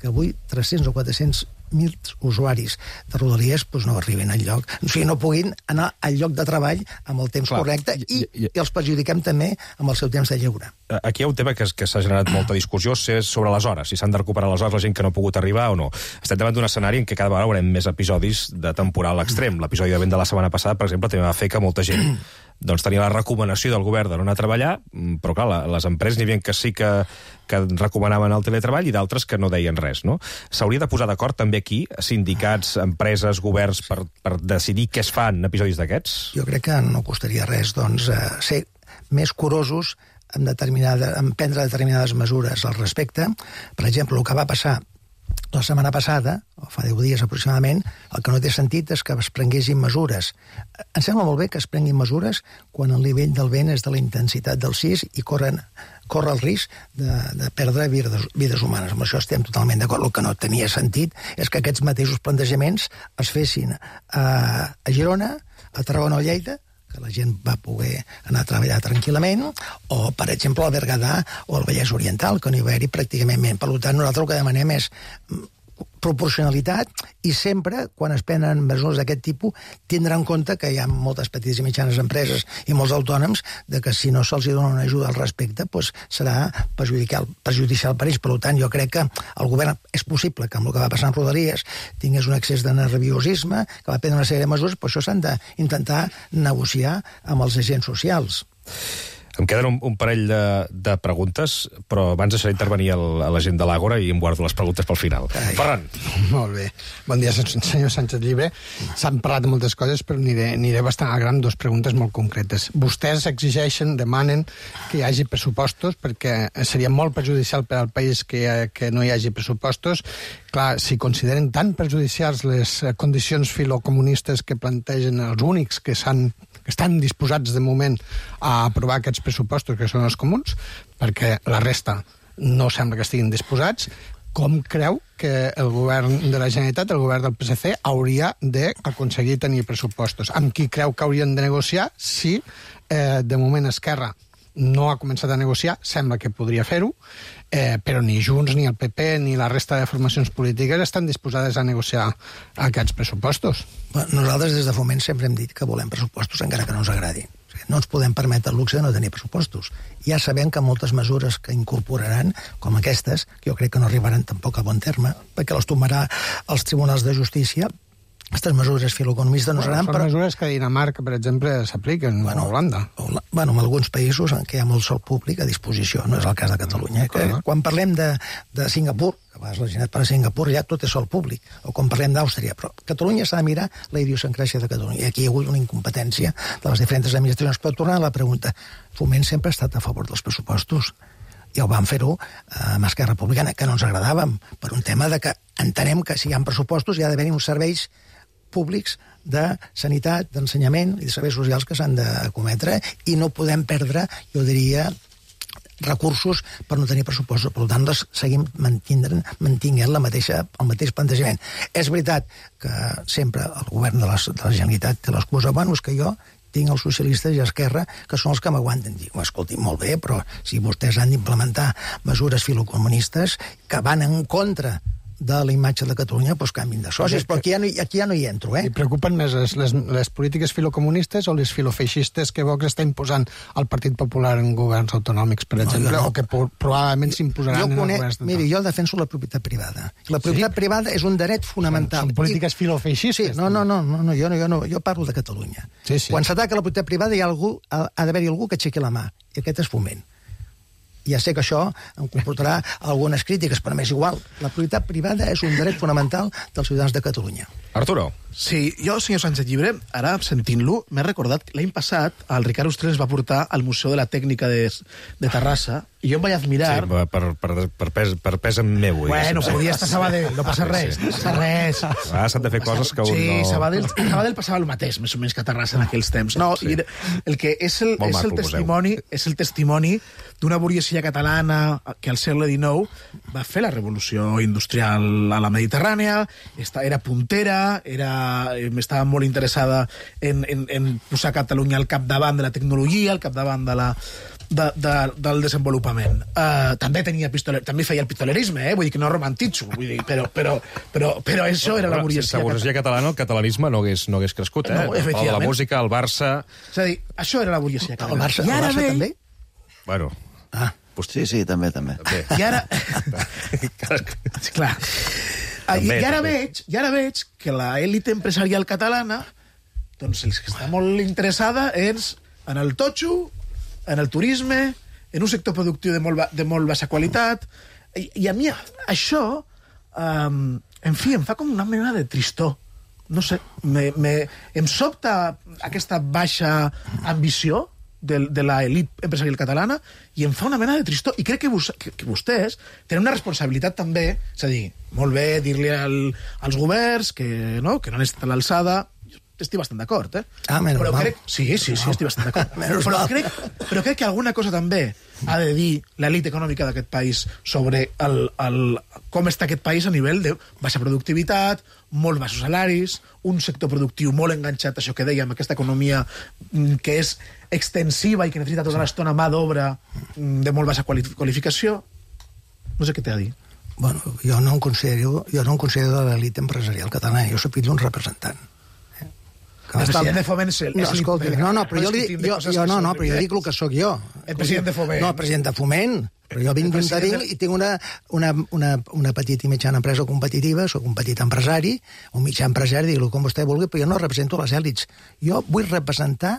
que avui tres-cents o quatre-cents mil usuaris de Rodalies doncs no arriben al lloc, o sigui, no puguin anar al lloc de treball amb el temps Clar, correcte i, i, i els perjudiquem també amb el seu temps de lleure. Aquí hi ha un tema que, que s'ha generat molta discussió, és sobre les hores, si s'han de recuperar les hores la gent que no ha pogut arribar o no. Estem davant d'un escenari en què cada vegada haurem més episodis de temporal extrem. L'episodi de vent de la setmana passada, per exemple, també va fer que molta gent doncs tenia la recomanació del govern de no anar a treballar, però clar, les empreses n'hi havia que sí que, que recomanaven el teletreball i d'altres que no deien res, no? S'hauria de posar d'acord també aquí, sindicats, empreses, governs, per, per decidir què es fa en episodis d'aquests? Jo crec que no costaria res, doncs, eh, ser més curosos en, determinada, en prendre determinades mesures al respecte. Per exemple, el que va passar la setmana passada, o fa deu dies aproximadament, el que no té sentit és que es prenguessin mesures. Em sembla molt bé que es prenguin mesures quan el nivell del vent és de la intensitat del sis i corren, corre el risc de, de perdre vides, vides humanes. Amb això estem totalment d'acord. El que no tenia sentit és que aquests mateixos plantejaments es fessin a, a Girona, a Tarragona o a Lleida, que la gent va poder anar a treballar tranquil·lament, o, per exemple, al Berguedà o al Vallès Oriental, que no hi va haver-hi pràcticament. Per tant, nosaltres el que demanem és proporcionalitat, i sempre, quan es prenen mesures d'aquest tipus, tindrà en compte que hi ha moltes petites i mitjanes empreses i molts autònoms de que si no se'ls dona una ajuda al respecte, doncs serà perjudicial, perjudicial per ells. Per tant, jo crec que el govern és possible que amb el que va passar amb Rodalies tingués un excés de nerviosisme, que va prendre una sèrie de mesures, però això s'han d'intentar negociar amb els agents socials. Em queden un, un parell de, de preguntes, però abans deixaré intervenir el, a la gent de l'Àgora i em guardo les preguntes pel final. Ai. Ferran. Molt bé. Bon dia, senyor Sánchez Llibre. S'han parlat de moltes coses, però aniré, aniré bastant al gran, dos preguntes molt concretes. Vostès exigeixen, demanen que hi hagi pressupostos, perquè seria molt perjudicial per al país que, que no hi hagi pressupostos. Clar, si consideren tan perjudicials les condicions filocomunistes que plantegen els únics que s'han que estan disposats de moment a aprovar aquests pressupostos, que són els comuns, perquè la resta no sembla que estiguin disposats, com creu que el govern de la Generalitat, el govern del P S C, hauria d'aconseguir tenir pressupostos? Amb qui creu que haurien de negociar si, eh, de moment, Esquerra no ha començat a negociar, sembla que podria fer-ho, eh, però ni Junts, ni el P P, ni la resta de formacions polítiques estan disposades a negociar aquests pressupostos. Bueno, nosaltres des de Foment sempre hem dit que volem pressupostos encara que no ens agradi. O sigui, no ens podem permetre el luxe de no tenir pressupostos. Ja sabem que moltes mesures que incorporaran, com aquestes, que jo crec que no arribaran tampoc a bon terme, perquè les tomarà els tribunals de justícia. Aquestes mesures filoeconomistes no seran... Bueno, són però... mesures que a Dinamarca, per exemple, s'apliquen, bueno, a Holanda. Bueno, en alguns països en què hi ha molt sol públic a disposició, no és el cas de Catalunya. Que, quan parlem de, de Singapur, que vas la gent per a Singapur, ja tot és sol públic, o quan parlem d'Àustria, però Catalunya s'ha de mirar la idiosincràsia de Catalunya, i aquí hi ha hagut una incompetència de les diferents administracions. Però tornant a la pregunta, Foment sempre ha estat a favor dels pressupostos, i ho vam fer-ho amb Esquerra Republicana, que no ens agradàvem, per un tema de que entenem que si hi ha pressupostos hi ha d'haver uns serveis públics de sanitat, d'ensenyament i de serveis socials que s'han de cometre, i no podem perdre, jo diria, recursos per no tenir pressupostos. Per tant, seguim mantinguent la mateixa, el mateix plantejament. És veritat que sempre el govern de la, de la Generalitat té l'excusa, bueno, és que jo tinc els socialistes i Esquerra, que són els que m'aguanten. Dic, escolti, molt bé, però si vostès han d'implementar mesures filocomunistes que van en contra de la imatge de Catalunya, doncs canvin de socis, però aquí ja, no, aquí ja no hi entro, eh? I preocupen més les, les, les polítiques filocomunistes o les filofeixistes que Vox està imposant al Partit Popular en governs autonòmics, per exemple, no, no. o que probablement s'imposaran en el govern estatal? Miri, jo defenso la propietat privada. La propietat sí? privada és un dret fonamental. Són, són polítiques filofeixistes. Sí, no, no, no, no, no, jo, no, jo, no jo parlo de Catalunya. Sí, sí. Quan s'ataca la propietat privada hi ha, algú, ha, ha d'haver-hi algú que aixequi la mà, i aquest és Foment. Ja sé que això em comportarà algunes crítiques, però m'és igual. La propietat privada és un dret fonamental dels ciutadans de Catalunya. Arturo. Sí, jo, senyor Sánchez Llibre, ara, sentint-lo, m'he recordat que l'any passat el Ricard Ostrell ens va portar al Museu de la Tècnica de, de Terrassa, i jo em vaig admirar... Sí, per, per, per, pes, per pes en meu. Bueno, podia estar a Sabadell, no passa res, no passa res. Ah, s'han de fer coses que un sí, no... Sí, Sabadell, Sabadell passava el mateix, més o menys que a Terrassa en aquells temps. No, sí. El que és el, és el testimoni, és el testimoni d'una burguesia catalana que al segle dinou va fer la revolució industrial a la Mediterrània, era puntera, era, estava molt interessada en, en, en posar Catalunya al capdavant de la tecnologia, al capdavant de la, de, de, del desenvolupament. Uh, també tenia pistoler, també feia el pistolerisme, eh? Vull dir que no romantitzo, vull dir, però, però, però, però això era la burguesia. Sense burguesia catalana, el catalanisme no hagués, no hagués crescut, eh? No, el la música, el Barça... És a dir, això era la burguesia catalana. El Barça, el Barça ve... també? Bueno... Ah, sí, sí, també, també. també. I ara... sí, clar. També, I, ara veig, I ara veig que l'élite empresarial catalana, doncs els que està molt interessada és en el totxo, en el turisme, en un sector productiu de molt, de molt baixa qualitat, i, i a mi això, um, en fi, em fa com una mena de tristor. No sé, me, me, em sobta aquesta baixa ambició de, de l'elit empresarial catalana i em fa una mena de tristor. I crec que, vos, que, que vostès tenen una responsabilitat també, és a dir, molt bé dir-li al, als governs que no, que no han estat a l'alçada. Estic bastant d'acord, eh? Ah, menys però mal. crec... Sí, sí, sí, estic bastant d'acord. però, crec, però crec que alguna cosa també ha de dir l'elit econòmica d'aquest país sobre el, el, com està aquest país a nivell de baixa productivitat, molt baixos salaris, un sector productiu molt enganxat, això que dèiem, aquesta economia que és extensiva i que necessita tota l'estona mà d'obra de molt baixa qualificació. No sé què té a dir. Bueno, jo no em considero, jo no em considero de l'elit empresarial catalana, jo soc fill d'un representant. El president de Foment és no, escolta, no, no, però jo, li, jo, jo, no, no, però jo dic el que sóc jo. El president de Foment. No, el president de Foment. Però jo vinc d'un taring i tinc una, una, una, una petita i mitjana empresa competitiva, sóc un petit empresari, un mitjà empresari, digue-lo com vostè vulgui, però jo no represento les èlits. Jo vull representar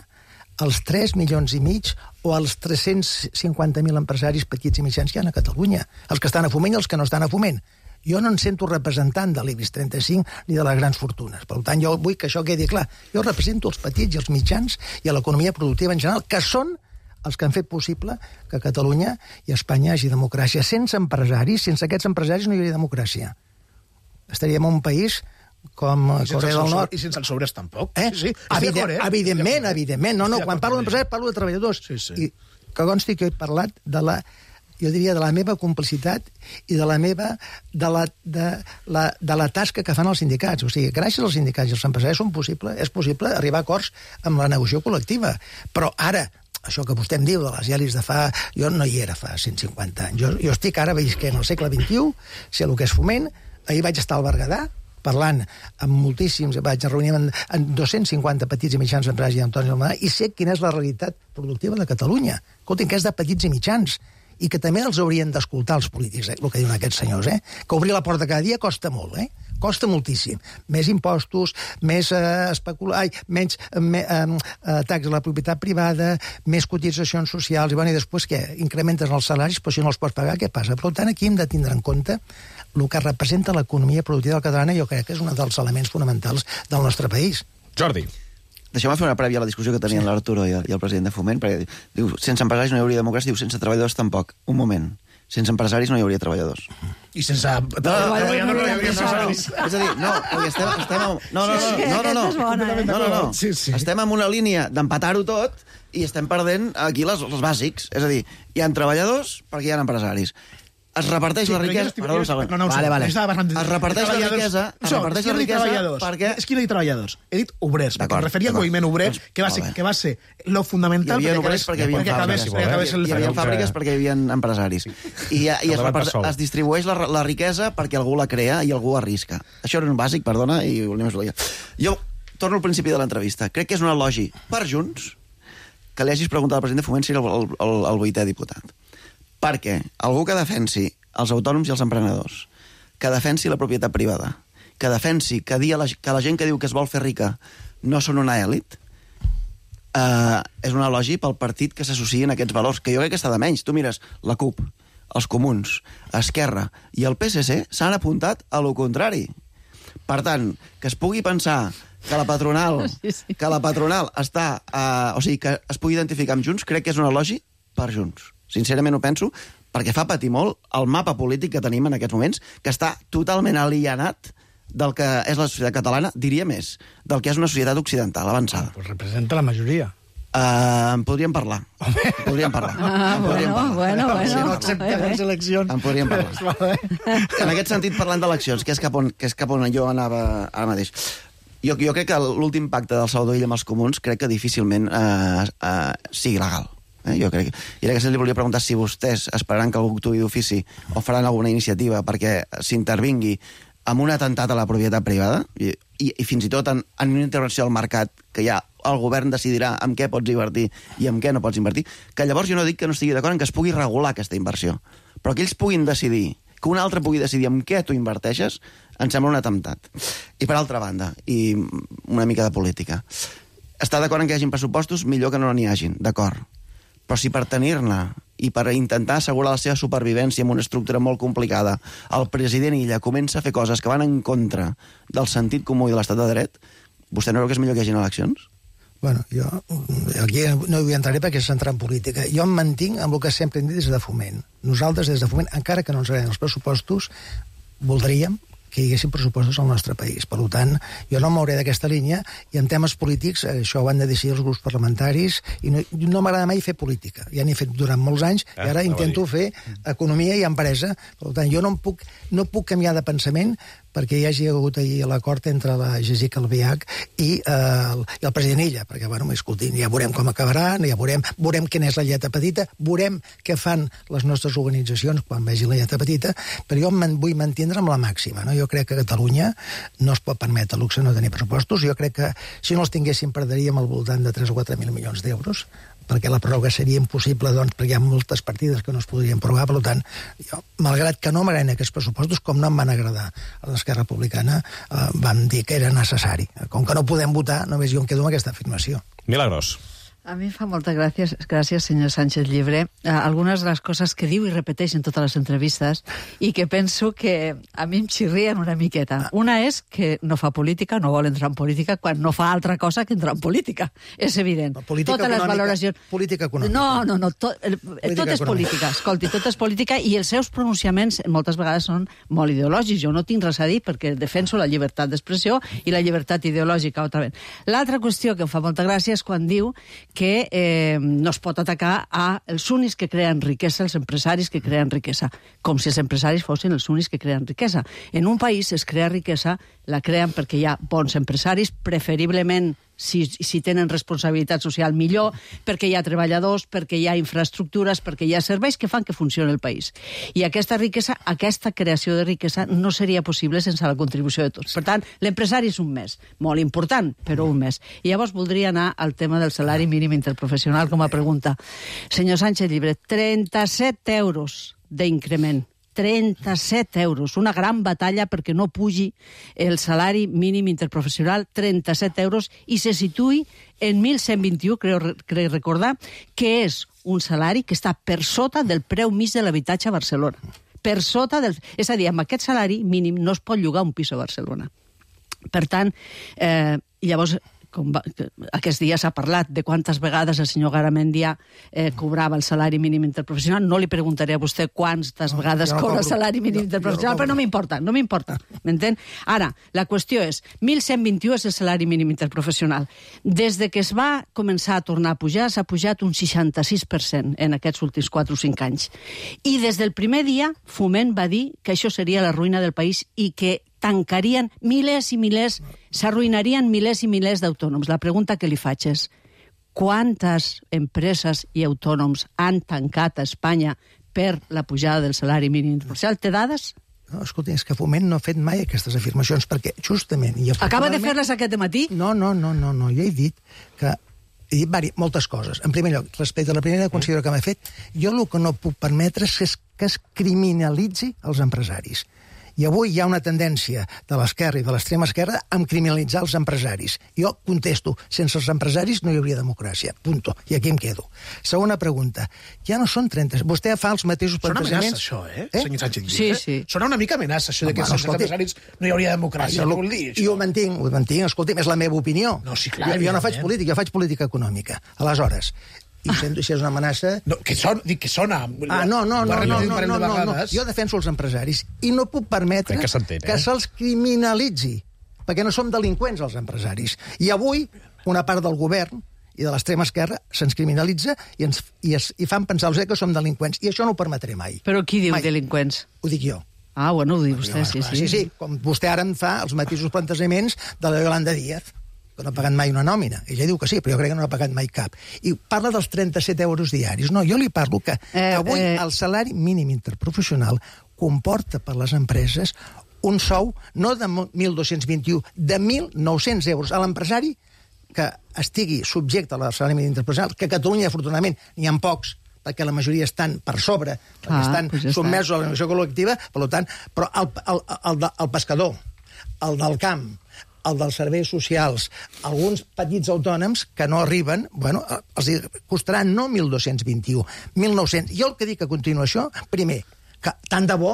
als tres milions i mig o als tres-cents cinquanta mil empresaris petits i mitjans que hi ha a Catalunya, els que estan a Foment i els que no estan a Foment. Jo no em sento representant de l'I B I S trenta-cinc ni de les grans fortunes. Per tant, jo vull que això quedi clar. Jo represento els petits i els mitjans i l'economia productiva en general, que són els que han fet possible que a Catalunya i a Espanya hi hagi democràcia. Sense empresaris, sense aquests empresaris no hi hauria democràcia. Estaríem en un país com Corea del Nord. I sense els obres tampoc. Eh? Sí, sí. Evident, eh? Evidentment, evidentment. No, no, quan parlo d'empresaris parlo de treballadors. Sí, sí. I que consti que he parlat de la, jo diria, de la meva complicitat i de la meva, de la, de la, de la tasca que fan els sindicats. O sigui, gràcies als sindicats i als empresaris són possible, és possible arribar a acords amb la negociació col·lectiva. Però ara, això que vostè em diu de les elis de fa... Jo no hi era fa cent cinquanta anys. Jo, jo estic ara visquent al segle vint-i-u, sé el que és Foment. Ahir vaig estar al Berguedà, parlant amb moltíssims, vaig reunir amb, amb dos-cents cinquanta petits i mitjans empresaris i autònoms del Berguedà, i sé quina és la realitat productiva de Catalunya. Escoltin, que és de petits i mitjans, i que també els haurien d'escoltar els polítics, eh, el que diuen aquests senyors, eh? Que obrir la porta cada dia costa molt, eh? Costa moltíssim. Més impostos, més eh, especular, ai, menys me, eh, taxes a la propietat privada, més cotitzacions socials, i, bueno, i després què? Incrementes els salaris, però si no els pots pagar, què passa? Per tant, aquí hem de tindre en compte el que representa l'economia productiva catalana, jo crec que és un dels elements fonamentals del nostre país. Jordi. Deixeu-me fer una prèvia a la discussió que tenien l'Arturo i, i el president de Foment, perquè diu, sense empresaris no hi hauria democràcia, diu, sense treballadors tampoc. Un moment. Sense empresaris no hi hauria treballadors. I sense treballadors no hi hauria empresaris. És a dir, no, perquè estem... estem no, no, no, no, no, no, no, no, no. Sí, sí. Estem en una línia d'empatar-ho tot i estem perdent aquí les, els bàsics. És a dir, hi ha treballadors perquè hi ha empresaris. Es reparteix sí, la riquesa... Perdó, un segon. No, no, vale, vale. Es reparteix la riquesa... Es reparteix la riquesa perquè... És que no he dit treballadors, he dit obrers, perquè em referia al moviment obrer, que va ser, que va ser lo fundamental hi havia obrers perquè hi havia fàbriques, hi havia fàbriques perquè hi havia empresaris. I, i es, es distribueix la, la riquesa perquè algú la crea i algú arrisca. Això era un bàsic, perdona, i volíem explicar. Jo torno al principi de l'entrevista. Crec que és un elogi per Junts que li hagis preguntat al president de Foment si era el, el, el, el vuitè diputat. Perquè algú que defensi els autònoms i els emprenedors, que defensi la propietat privada, que defensi que, dia la, que la gent que diu que es vol fer rica no són una èlit, eh, és un elogi pel partit que s'associen a aquests valors, que jo crec que està de menys. Tu mires la CUP, els Comuns, Esquerra i el P S C s'han apuntat a lo contrari. Per tant, que es pugui pensar que la patronal, sí, sí. que la patronal està... Eh, o sigui, que es pugui identificar amb Junts, crec que és un elogi per Junts. Sincerament ho penso, perquè fa patir molt el mapa polític que tenim en aquests moments, que està totalment alienat del que és la societat catalana, diria més, del que és una societat occidental avançada. Pues representa la majoria. Uh, en podríem parlar. En podríem parlar. Ah, en podríem bueno, parlar. bueno, bueno. Si no accepten les eleccions... En podríem parlar. En aquest sentit, parlant d'eleccions, que és cap on, que és cap on jo anava ara mateix. Jo, jo crec que l'últim pacte del Salvador Illa amb els Comuns crec que difícilment uh, uh, sigui legal. Eh, jo crec. I ara que li volia preguntar si vostès esperaran que algú actuï d'ofici o faran alguna iniciativa perquè s'intervingui amb un atemptat a la propietat privada i, i, i fins i tot en, en una intervenció al mercat que ja el govern decidirà en què pots invertir i en què no pots invertir, que llavors jo no dic que no estigui d'acord en que es pugui regular aquesta inversió, però que ells puguin decidir, que un altre pugui decidir en què tu inverteixes, em sembla un atemptat. I per altra banda, i una mica de política, està d'acord en que hi hagin pressupostos, millor que no n'hi hagin, d'acord. Però si per tenir-ne i per intentar assegurar la seva supervivència amb una estructura molt complicada, el president Illa comença a fer coses que van en contra del sentit comú i de l'estat de dret, vostè no creu que és millor que hi hagin eleccions? Bueno, jo aquí no hi entraré perquè és entrar en política. Jo em mantinc amb el que sempre hem dit des de Foment. Nosaltres, des de Foment, encara que no ens agraden els pressupostos, voldríem que hi haguessin pressupostos al nostre país. Per tant, jo no m'hauré d'aquesta línia i en temes polítics això ho han de decidir els grups parlamentaris i no, no m'agrada mai fer política. Ja n'he fet durant molts anys i ara eh, intento fer economia i empresa. Per tant, jo no em puc, no puc canviar de pensament perquè hi hagi hagut ahir l'acord entre la Jessica Albiach i, eh, el, i el president Illa, perquè, bueno, escoltin, ja veurem com acabarà, ja veurem, veurem quina és la lletra petita, veurem què fan les nostres organitzacions quan vegi la lletra petita, però jo em vull mantindre amb la màxima, no? Jo crec que Catalunya no es pot permetre luxe no tenir pressupostos, jo crec que si no els tinguéssim perdríem al voltant de tres o quatre mil milions d'euros, perquè la pròrroga seria impossible, doncs, perquè hi ha moltes partides que no es podrien prorrogar. Per tant, jo, malgrat que no m'agraden aquests pressupostos, com no em van agradar a l'Esquerra Republicana, eh, vam dir que era necessari. Com que no podem votar, només jo em quedo amb aquesta afirmació. Milagros. A mi em fa molta gràcia, gràcies, senyor Sánchez Llibre, algunes de les coses que diu i repeteix en totes les entrevistes i que penso que a mi em xirrien una miqueta. Una és que no fa política, no vol entrar en política, quan no fa altra cosa que entrar en política. És evident. Política totes econòmica, les valoracions... Política econòmica. No, no, no. Tot, tot és política. Escolti, tot és política i els seus pronunciaments moltes vegades són molt ideològics. Jo no tinc res a dir perquè defenso la llibertat d'expressió i la llibertat ideològica. L'altra qüestió que em fa molta gràcia és quan diu que eh, no es pot atacar a els únics que creen riquesa, els empresaris que creen riquesa, com si els empresaris fossin els únics que creen riquesa. En un país es crea riquesa, la creen perquè hi ha bons empresaris, preferiblement si, si tenen responsabilitat social millor, perquè hi ha treballadors, perquè hi ha infraestructures, perquè hi ha serveis que fan que funcioni el país. I aquesta riquesa, aquesta creació de riquesa no seria possible sense la contribució de tots. Per tant, l'empresari és un més, molt important, però un més. I llavors voldria anar al tema del salari mínim interprofessional com a pregunta. Senyor Sánchez Llibre, trenta-set euros d'increment. trenta-set euros, una gran batalla perquè no pugi el salari mínim interprofessional, trenta-set euros, i se situï en mil cent vint-i-u, crec, crec recordar, que és un salari que està per sota del preu mig de l'habitatge a Barcelona. Per sota del... És a dir, amb aquest salari mínim no es pot llogar un pis a Barcelona. Per tant, eh, llavors... Com va, aquests dies s'ha parlat de quantes vegades el senyor Garamendia eh, cobrava el salari mínim interprofessional. No li preguntaré a vostè quantes no, vegades no cobra el salari mínim no, interprofessional, no però no m'importa, no m'importa, m'entén? Ara, la qüestió és, mil cent vint-i-u és el salari mínim interprofessional. Des de que es va començar a tornar a pujar, s'ha pujat un seixanta-sis per cent en aquests últims quatre o cinc anys. I des del primer dia, Foment va dir que això seria la ruïna del país i que tancarien milers i milers, s'arruïnarien milers i milers d'autònoms. La pregunta que li faig és, quantes empreses i autònoms han tancat a Espanya per la pujada del salari mínim interprofessional? Té dades? No, escolta, és que Foment no ha fet mai aquestes afirmacions, perquè justament... I Acaba de fer-les aquest matí? No, no, no, no, no. Jo he dit que he dit vari, moltes coses. En primer lloc, respecte a la primera considero que m'ha fet, jo el que no puc permetre és que es criminalitzi els empresaris. I avui hi ha una tendència de l'esquerra i de l'extrema esquerra a criminalitzar els empresaris. Jo contesto, sense els empresaris no hi hauria democràcia. Punto. I aquí em quedo. Segona pregunta. Ja no són trenta... Vostè fa els mateixos plantejaments... Sona amenaça, això, eh, senyor Sánchez Llibre? Sí, sí. Sona una mica amenaça, això de que sense els empresaris no hi hauria democràcia. Què vol dir, això? Jo ho mantinc, ho mantinc. Escolti'm, és la meva opinió. No, sí, clar. Jo, jo no faig política, jo faig política econòmica. Aleshores... I sento si és una amenaça... No, que sona, dic que sona. Ah, no, no, no, no, no, no, no, no. Jo defenso els empresaris i no puc permetre que, eh? que se'ls criminalitzi, perquè no som delinqüents els empresaris. I avui una part del govern i de l'extrema esquerra se'ns criminalitza i, ens, i, es, i fan pensar que som delinqüents. I això no ho permetré mai. Però qui diu mai. Delinqüents? Ho dic jo. Ah, bueno, ho diu vostè, sí, sí. Sí, sí, com vostè ara em fa els mateixos plantejaments de la Yolanda Díaz, que no ha pagat mai una nòmina. Ella diu que sí, però jo crec que no ha pagat mai cap. I parla dels trenta-set euros diaris. No, jo li parlo que eh, avui eh... el salari mínim interprofessional comporta per les empreses un sou no de mil dos-cents vint-i-u, de mil nou-cents euros. A l'empresari que estigui subjecte al salari mínim interprofessional, que a Catalunya, afortunadament, n'hi ha pocs, perquè la majoria estan per sobre, perquè ah, estan pues ja sotmesos a la negociació col·lectiva, per tant, però el, el, el, el pescador, el del camp, el dels serveis socials, alguns petits autònoms que no arriben, bueno, els costaran no mil dos-cents vint-i-u, mil nou-cents. Jo el que dic a continuació, primer, que tant de bo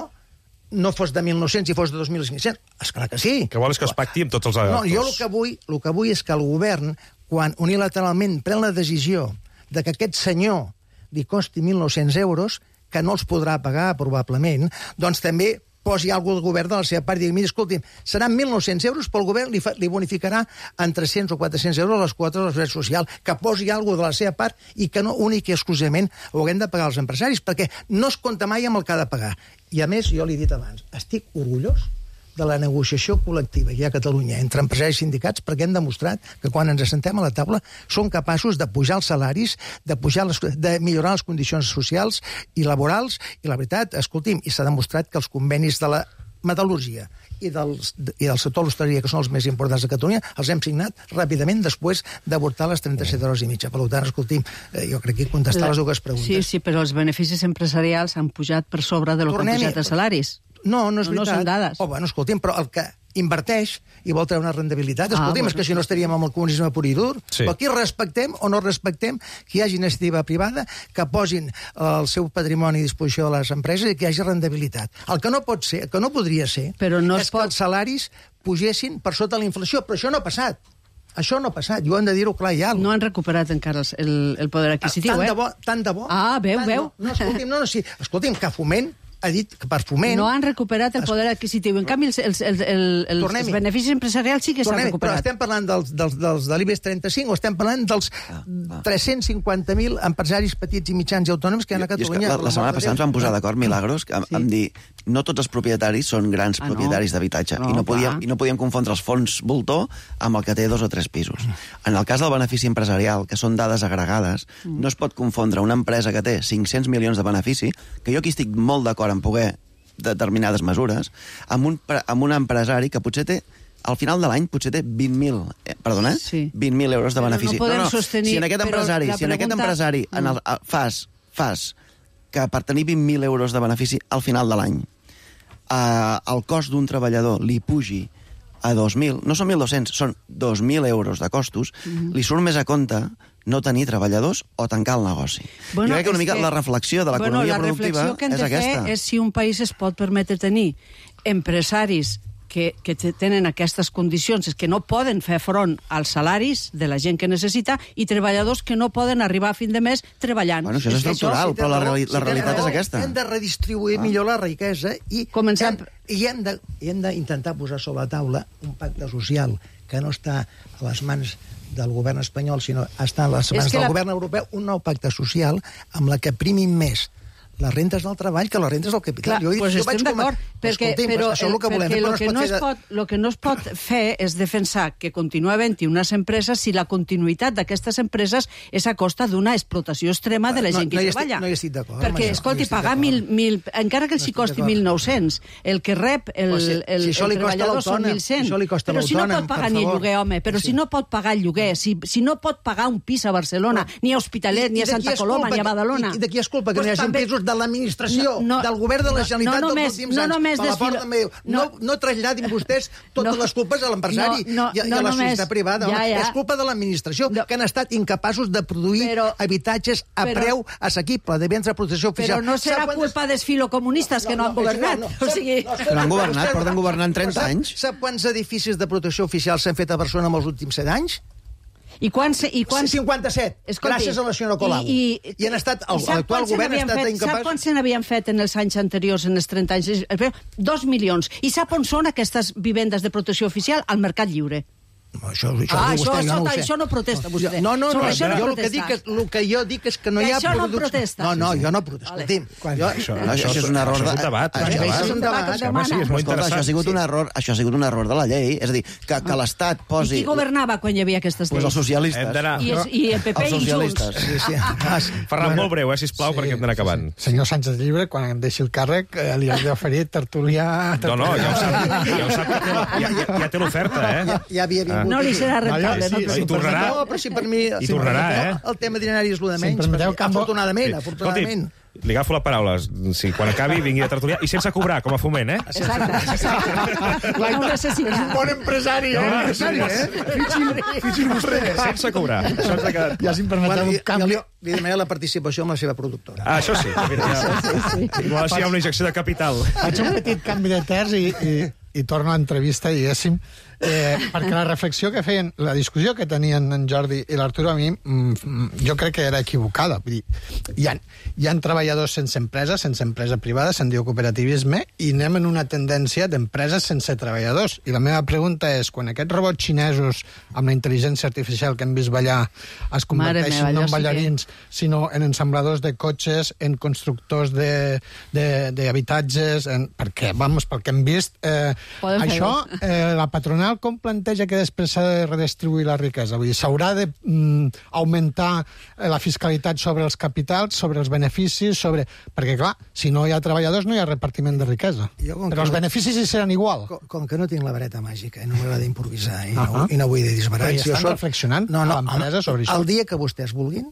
no fos de mil nou-cents i fos de dos mil cinc-cents. Esclar que sí. Que vol és que es pacti amb tots els actors. No, jo el que vull, el que vull és que el govern, quan unilateralment pren la decisió de que aquest senyor li costi mil nou-cents euros, que no els podrà pagar probablement, doncs també posi alguna del govern de la seva part i digui, mira, escolti'm, seran mil nou-cents euros, però el govern li, fa, li bonificarà en tres-cents o quatre-cents euros les quotes de la seguretat social, que posi alguna de la seva part i que no únic i exclusivament ho haguem de pagar els empresaris, perquè no es compta mai amb el que ha de pagar. I a més, jo li he dit abans, estic orgullós de la negociació col·lectiva que hi ha a Catalunya entre empresaris i sindicats, perquè hem demostrat que quan ens assentem a la taula som capaços de pujar els salaris, de, pujar les, de millorar les condicions socials i laborals, i la veritat, escolti'm, i s'ha demostrat que els convenis de la metal·lúrgia i del, i del sector de l'hostaleria, que són els més importants de Catalunya, els hem signat ràpidament després d'avortar les trenta-set hores i mitja. Per tant, escolti'm, jo crec que he contestat les dues preguntes. Sí, sí, però els beneficis empresarials han pujat per sobre de lo que han pujat els salaris. No, no és no, veritat. No són dades. Oh, bueno, escolti'm, però el que inverteix i vol treure una rendibilitat. Ah, Escoltem, bueno. és que si no estaríem amb el comunisme pur i dur. Sí. Però aquí respectem o no respectem que hi hagi iniciativa privada, que posin el seu patrimoni a disposició de les empreses i que hi hagi rendibilitat. El que no pot ser, el que no podria ser, Però no és es pot... que els salaris pugessin per sota la inflació. Però això no ha passat. Això no ha passat, i ho hem de dir-ho clar i alt. No han recuperat encara el, el poder adquisitiu, tant eh? de bo, tant de bo. Ah, veu, tant, veu. No, no, escolti'm, no, no, sí. Escolti'm, que Foment ha dit que per Foment... No han recuperat el poder adquisitiu. En canvi, els, els, els, els, els beneficis empresarials sí que s'han recuperat. Però estem parlant dels, dels, dels de l'I B E X trenta-cinc o estem parlant dels tres-cents cinquanta mil empresaris petits i mitjans i autònoms que hi ha a Catalunya? La, la setmana passada ens vam posar d'acord, Milagros, amb, sí. amb dir no tots els propietaris són grans ah, propietaris no. d'habitatge no, i, no podíem, i no podíem confondre els fons voltor amb el que té dos o tres pisos. En el cas del benefici empresarial, que són dades agregades, mm. no es pot confondre una empresa que té cinc-cents milions de benefici, que jo aquí estic molt d'acord en poder determinades mesures, amb un, amb un empresari que potser té al final de l'any potser té vint mil, eh, perdona, sí. vint mil euros de benefici. No, no, no. Sostenir, si en aquest empresari, si en aquest empresari en el, fas, fas que per tenir vint mil euros de benefici al final de l'any eh, el cost d'un treballador li pugi a dos mil, no són mil dos-cents, són dos mil euros de costos, mm-hmm. li surt més a compte no tenir treballadors o tancar el negoci. Bueno, jo crec que una mica que, la reflexió de l'economia bueno, productiva que és aquesta. La reflexió que hem de fer és si un país es pot permetre tenir empresaris que, que tenen aquestes condicions, és que no poden fer front als salaris de la gent que necessita i treballadors que no poden arribar a fin de mes treballant. Bueno, això és, és estructural, això, si però la, reali la realitat és aquesta. Hem de redistribuir ah. millor la riquesa i Comencem... hem, i hem de, hem d'intentar posar sobre la taula un pacte social que no està a les mans del govern espanyol, sinó està a les mans del la... govern europeu, un nou pacte social amb la que primin més les rentes del treball que les rentes del capital. Clar, jo, pues jo estem d'acord, perquè, però, això és el que volem, perquè però el que no, es de... pot, lo que no es pot fer és defensar que continua havent-hi unes empreses si la continuïtat d'aquestes empreses és a costa d'una explotació extrema de la gent no, que no treballa. No hi estic d'acord. Perquè, escolti, no pagar mil, mil... Encara que els hi costi mil nou-cents, el que rep el, si, el, si el treballador són mil cent. Si però si no pot pagar ni el lloguer, home, però sí. si no pot pagar el lloguer, si, si no pot pagar un pis a Barcelona, no. ni a Hospitalet, ni a Santa Coloma, ni a Badalona... I de qui és culpa? Que no hi hagi pisos de l'administració, No, no, del govern de la Generalitat no, no dels últims no, anys. Per la porta meu. No, no, no traslladin vostès totes no, les culpes a l'empresari no, no, i, i a la societat privada. Ja, ja. És culpa de l'administració, no. que han estat incapaços de produir però, habitatges a però, preu assequible, de béns de protecció oficial. Però no serà quantes... culpa dels filocomunistes no, que no, no han governat. No, no, o sigui... no, però han governat, porten governant trenta anys. Sap quants edificis de protecció oficial s'han fet a Barcelona en els últims set anys? I quants... I quants... cinquanta-set, Escolti, gràcies a la senyora Colau. I, i, I han estat, l'actual govern ha estat fet, incapaç... Sap quants se n'havien fet en els anys anteriors, en els trenta anys? Dos milions. I sap on són aquestes vivendes de protecció oficial? Al mercat lliure. No, això, això, ah, vostè, això, jo no això, això no protesta vostè. No, no, no, no això no jo el que, dic és, el que jo dic és que no que hi ha això productes... No protesta. No, no, jo no protesto. Vale. Jo, això, això, això és un error... Això és un debat. Això, això és un debat. Home, sí, és molt Escolta, això ha sigut un error, això ha sigut un error de la llei. És a dir, que, que l'Estat posi... I qui governava quan hi havia aquestes lleis? Pues els socialistes. I, es, I el P P i Junts. Sí, sí. Ferran, molt breu, eh, sisplau, sí. perquè hem d'anar acabant. Senyor Sánchez Llibre, quan em deixi el càrrec, eh, li has d'oferir tertulià... No, no, ja ho sap, ja ho sap que té, ja, ja, ja té l'oferta, eh? Ja, ja havia vingut. No li serà rentable. No, sí, sí, tornarà. No, però si per mi... I tornarà, eh? El tema dinari és el de menys. Si permeteu, afortunadament, afortunadament. Li agafo la paraula. Si quan acabi vingui a tertuliar i sense cobrar, com a Foment, eh? Exacte. exacte. No ho necessita. És un bon empresari, eh? No, empresari, eh? Fixi vostè. Sense cobrar. Això ens ha quedat... Ja si em permeteu un canvi... Li demana la participació amb la seva productora. Ah, això sí. Mira, ja... sí, sí, sí. Igual si hi ha una injecció de capital. Faig un petit canvi de terç i, i, i torno a l'entrevista, diguéssim, eh, perquè la reflexió que feien, la discussió que tenien en Jordi i l'Arturo a mi, mm, jo crec que era equivocada. Vull dir, hi ha, hi ha treballadors sense empresa, sense empresa privada, se'n diu cooperativisme, i anem en una tendència d'empreses sense treballadors. I la meva pregunta és, quan aquests robots xinesos amb la intel·ligència artificial que hem vist ballar es converteixen meva, no en ballarins, sí que... sinó en ensambladors de cotxes, en constructors d'habitatges, perquè, vamos, pel que hem vist, eh, això, eh, la patronal com planteja que després s'ha de redistribuir la riquesa? Vull dir, s'haurà de mm, augmentar la fiscalitat sobre els capitals, sobre els beneficis, sobre... Perquè, clar, si no hi ha treballadors no hi ha repartiment de riquesa. Jo, però els no... beneficis hi seran igual. Com, com que no tinc la vareta màgica i no m'agrada improvisar i, uh -huh. no, i no vull dir disbarats... Però hi estan soc... reflexionant no, no, a l'empresa sobre això? El dia que vostès vulguin,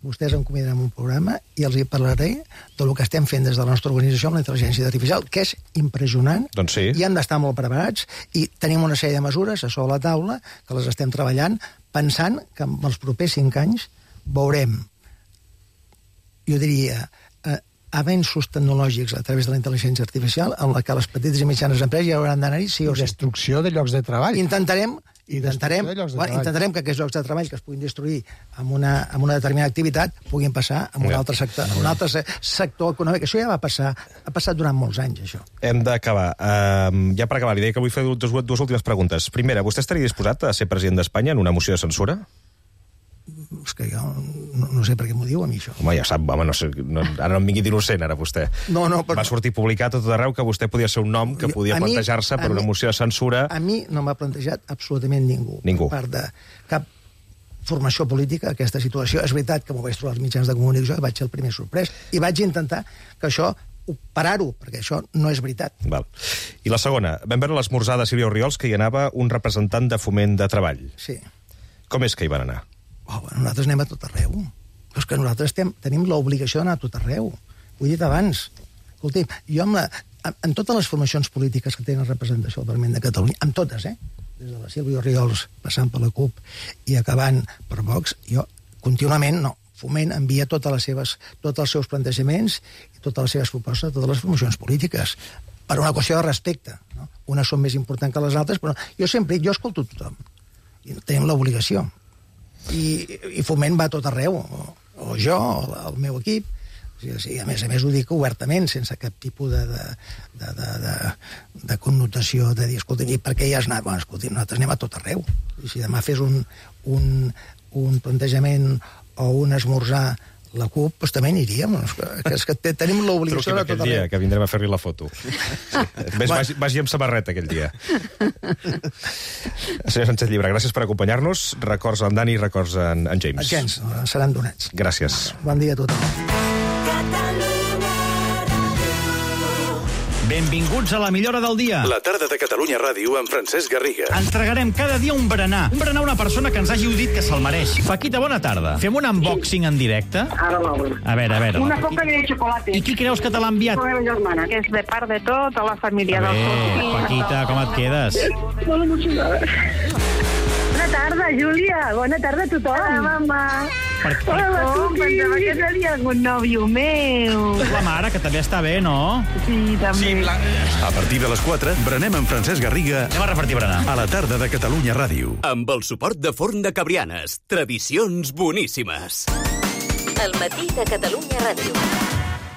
vostès em convidaran a un programa i els hi parlaré del que estem fent des de la nostra organització amb la intel·ligència artificial, que és impressionant. Doncs sí. I hem d'estar molt preparats i tenim una sèrie de mesures a sobre la taula que les estem treballant pensant que en els propers cinc anys veurem, jo diria, eh, avenços tecnològics a través de la intel·ligència artificial en la que les petites i mitjanes empreses ja hauran d'anar-hi sí o sí. Destrucció de llocs de treball. Intentarem Intentarem, bueno, intentarem que aquests llocs de treball que es puguin destruir amb una, amb una determinada activitat puguin passar a un, ja. altre sector, a un altre sector econòmic. Això ja va passar, ha passat durant molts anys, això. Hem d'acabar. Uh, ja per acabar, li deia que vull fer dues, dues últimes preguntes. Primera, vostè estaria disposat a ser president d'Espanya en una moció de censura? És que jo no, no sé per què m'ho diu a mi, això. Home, ja sap, home, no sé, no, ara no em vingui d'innocent, ara, vostè. No, no, però... Va sortir publicat tot arreu que vostè podia ser un nom que podia plantejar-se per una moció de censura. A mi no m'ha plantejat absolutament ningú. Ningú. Per part de cap formació política, aquesta situació. És veritat que m'ho vaig trobar als mitjans de comunicació, vaig ser el primer sorprès, i vaig intentar que això parar-ho, perquè això no és veritat. Val. I la segona, vam veure l'esmorzar de Sílvia Orriols que hi anava un representant de Foment de Treball. Sí. Com és que hi van anar? Oh, bueno, nosaltres anem a tot arreu. És que nosaltres estem, tenim l'obligació d'anar a tot arreu. Ho he dit abans. Escolti, jo amb la, en totes les formacions polítiques que tenen representació al Parlament de Catalunya, amb totes, eh? Des de la Sílvia Orriols, passant per la CUP i acabant per Vox, jo contínuament, no, Foment envia totes les seves, tots els seus plantejaments i totes les seves propostes a totes les formacions polítiques, per una qüestió de respecte. No? Unes són més importants que les altres, però jo sempre, jo escolto tothom. I tenim l'obligació. I, i Foment va a tot arreu, o, o jo, o el meu equip. O sigui, a més a més ho dic obertament, sense cap tipus de, de, de, de, de, de connotació de dir, escolta, i per què hi has anat? Bueno, escolta, nosaltres anem a tot arreu. I si demà fes un, un, un plantejament o un esmorzar la CUP, doncs també aniríem. Que és que tenim l'obligació de tot arreu. Dia, que vindrem a fer-li la foto. Sí. Ves, vagi, vagi amb samarreta aquell dia. Senyor Sánchez Llibre, gràcies per acompanyar-nos. Records en Dani i records en, en James. Els gens seran donats. Gràcies. Bon dia a tothom. Benvinguts a la millora del dia. La tarda de Catalunya Ràdio amb Francesc Garriga. Entregarem cada dia un berenar. Un berenar a una persona que ens hagi dit que se'l mereix. Paquita, bona tarda. Fem un unboxing en directe? Ara l'obro. A veure, a veure. Una copa de chocolate. I qui creus que te l'ha enviat? La meva germana, que és de part de tota la família. A veure, Paquita, com et quedes? Molt emocionada. Bona tarda, Júlia. Bona tarda a tothom. Hola, mama. Per què? Hola, oh, pensava que seria un nòvio meu. La mare, que també està bé, no? Sí, també. Sí, la... A partir de les quatre, berenem amb Francesc Garriga. Anem a repartir berenar. A la tarda de Catalunya Ràdio. Amb el suport de Forn de Cabrianes. Tradicions boníssimes. El matí de Catalunya Ràdio.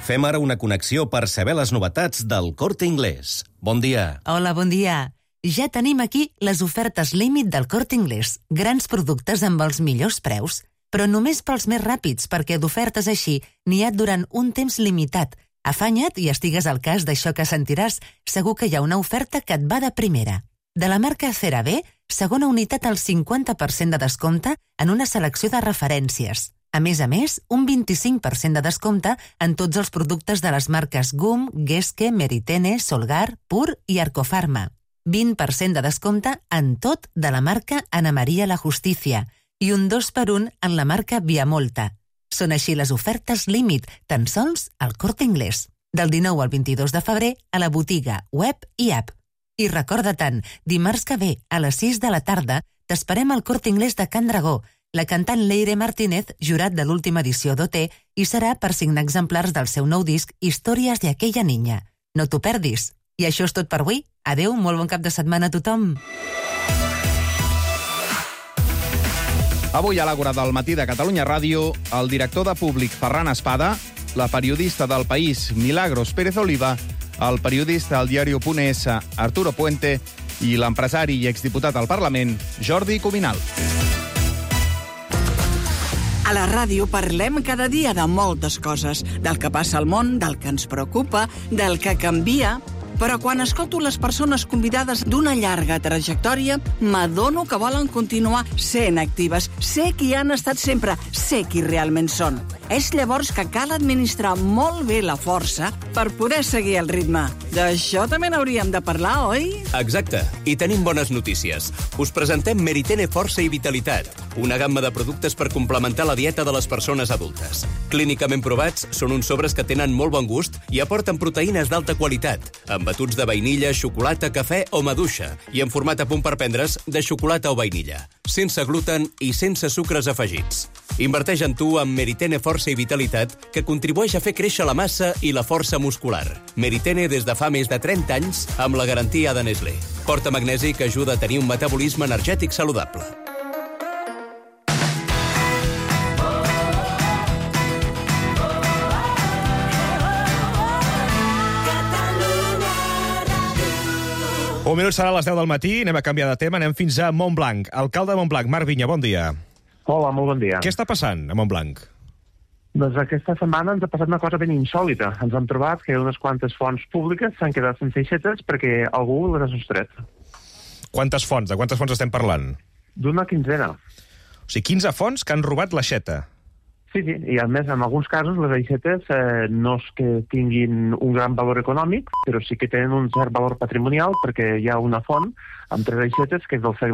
Fem ara una connexió per saber les novetats del Corte Inglés. Bon dia. Hola, bon dia. Ja tenim aquí les ofertes límit del Corte Inglés. Grans productes amb els millors preus, però només pels més ràpids, perquè d'ofertes així n'hi ha durant un temps limitat. Afanya't i estigues al cas d'això que sentiràs. Segur que hi ha una oferta que et va de primera. De la marca CeraVe, segona unitat al cinquanta per cent de descompte en una selecció de referències. A més a més, un vint-i-cinc per cent de descompte en tots els productes de les marques Gum, Geske, Meritene, Solgar, Pur i Arcofarma. vint per cent de descompte en tot de la marca Ana María La Justicia i un dos per un en la marca Viamolta. Són així les ofertes límit, tan sols al Corte Inglés. Del dinou al vint-i-dos de febrer a la botiga, web i app. I recorda tant, dimarts que ve, a les sis de la tarda, t'esperem al Corte Inglés de Can Dragó. La cantant Leire Martínez, jurat de l'última edició d'O T, hi serà per signar exemplars del seu nou disc Històries de aquella niña. No t'ho perdis. I això és tot per avui. Adeu, molt bon cap de setmana a tothom. Avui a l'Àgora del matí de Catalunya Ràdio, el director de Públic Ferran Espada, la periodista del País Milagros Pérez Oliva, el periodista del diari punt es Arturo Puente i l'empresari i exdiputat al Parlament Jordi Cuminal. A la ràdio parlem cada dia de moltes coses, del que passa al món, del que ens preocupa, del que canvia. Però quan escolto les persones convidades d'una llarga trajectòria, m'adono que volen continuar sent actives. Sé qui han estat sempre, sé qui realment són. És llavors que cal administrar molt bé la força per poder seguir el ritme. D'això també n'hauríem de parlar, oi? Exacte, i tenim bones notícies. Us presentem Meritene Força i Vitalitat, una gamma de productes per complementar la dieta de les persones adultes. Clínicament provats, són uns sobres que tenen molt bon gust i aporten proteïnes d'alta qualitat, amb batuts de vainilla, xocolata, cafè o maduixa, i en format a punt per prendre's de xocolata o vainilla, sense gluten i sense sucres afegits. Inverteix en tu amb Meritene Força i Vitalitat, que contribueix a fer créixer la massa i la força muscular. Meritene des de fa més de trenta anys, amb la garantia de Nestlé. Porta magnesi que ajuda a tenir un metabolisme energètic saludable. Un minut serà a les deu del matí, anem a canviar de tema, anem fins a Montblanc. Alcalde de Montblanc, Marc Vinya, bon dia. Hola, molt bon dia. Què està passant a Montblanc? Doncs aquesta setmana ens ha passat una cosa ben insòlita. Ens hem trobat que unes quantes fonts públiques s'han quedat sense aixetes perquè algú les ha sostret. Quantes fonts? De quantes fonts estem parlant? D'una quinzena. O sigui, quinze fonts que han robat l'aixeta. Sí, sí, i a més, en alguns casos, les aixetes eh, no és que tinguin un gran valor econòmic, però sí que tenen un cert valor patrimonial perquè hi ha una font amb tres aixetes que és del segle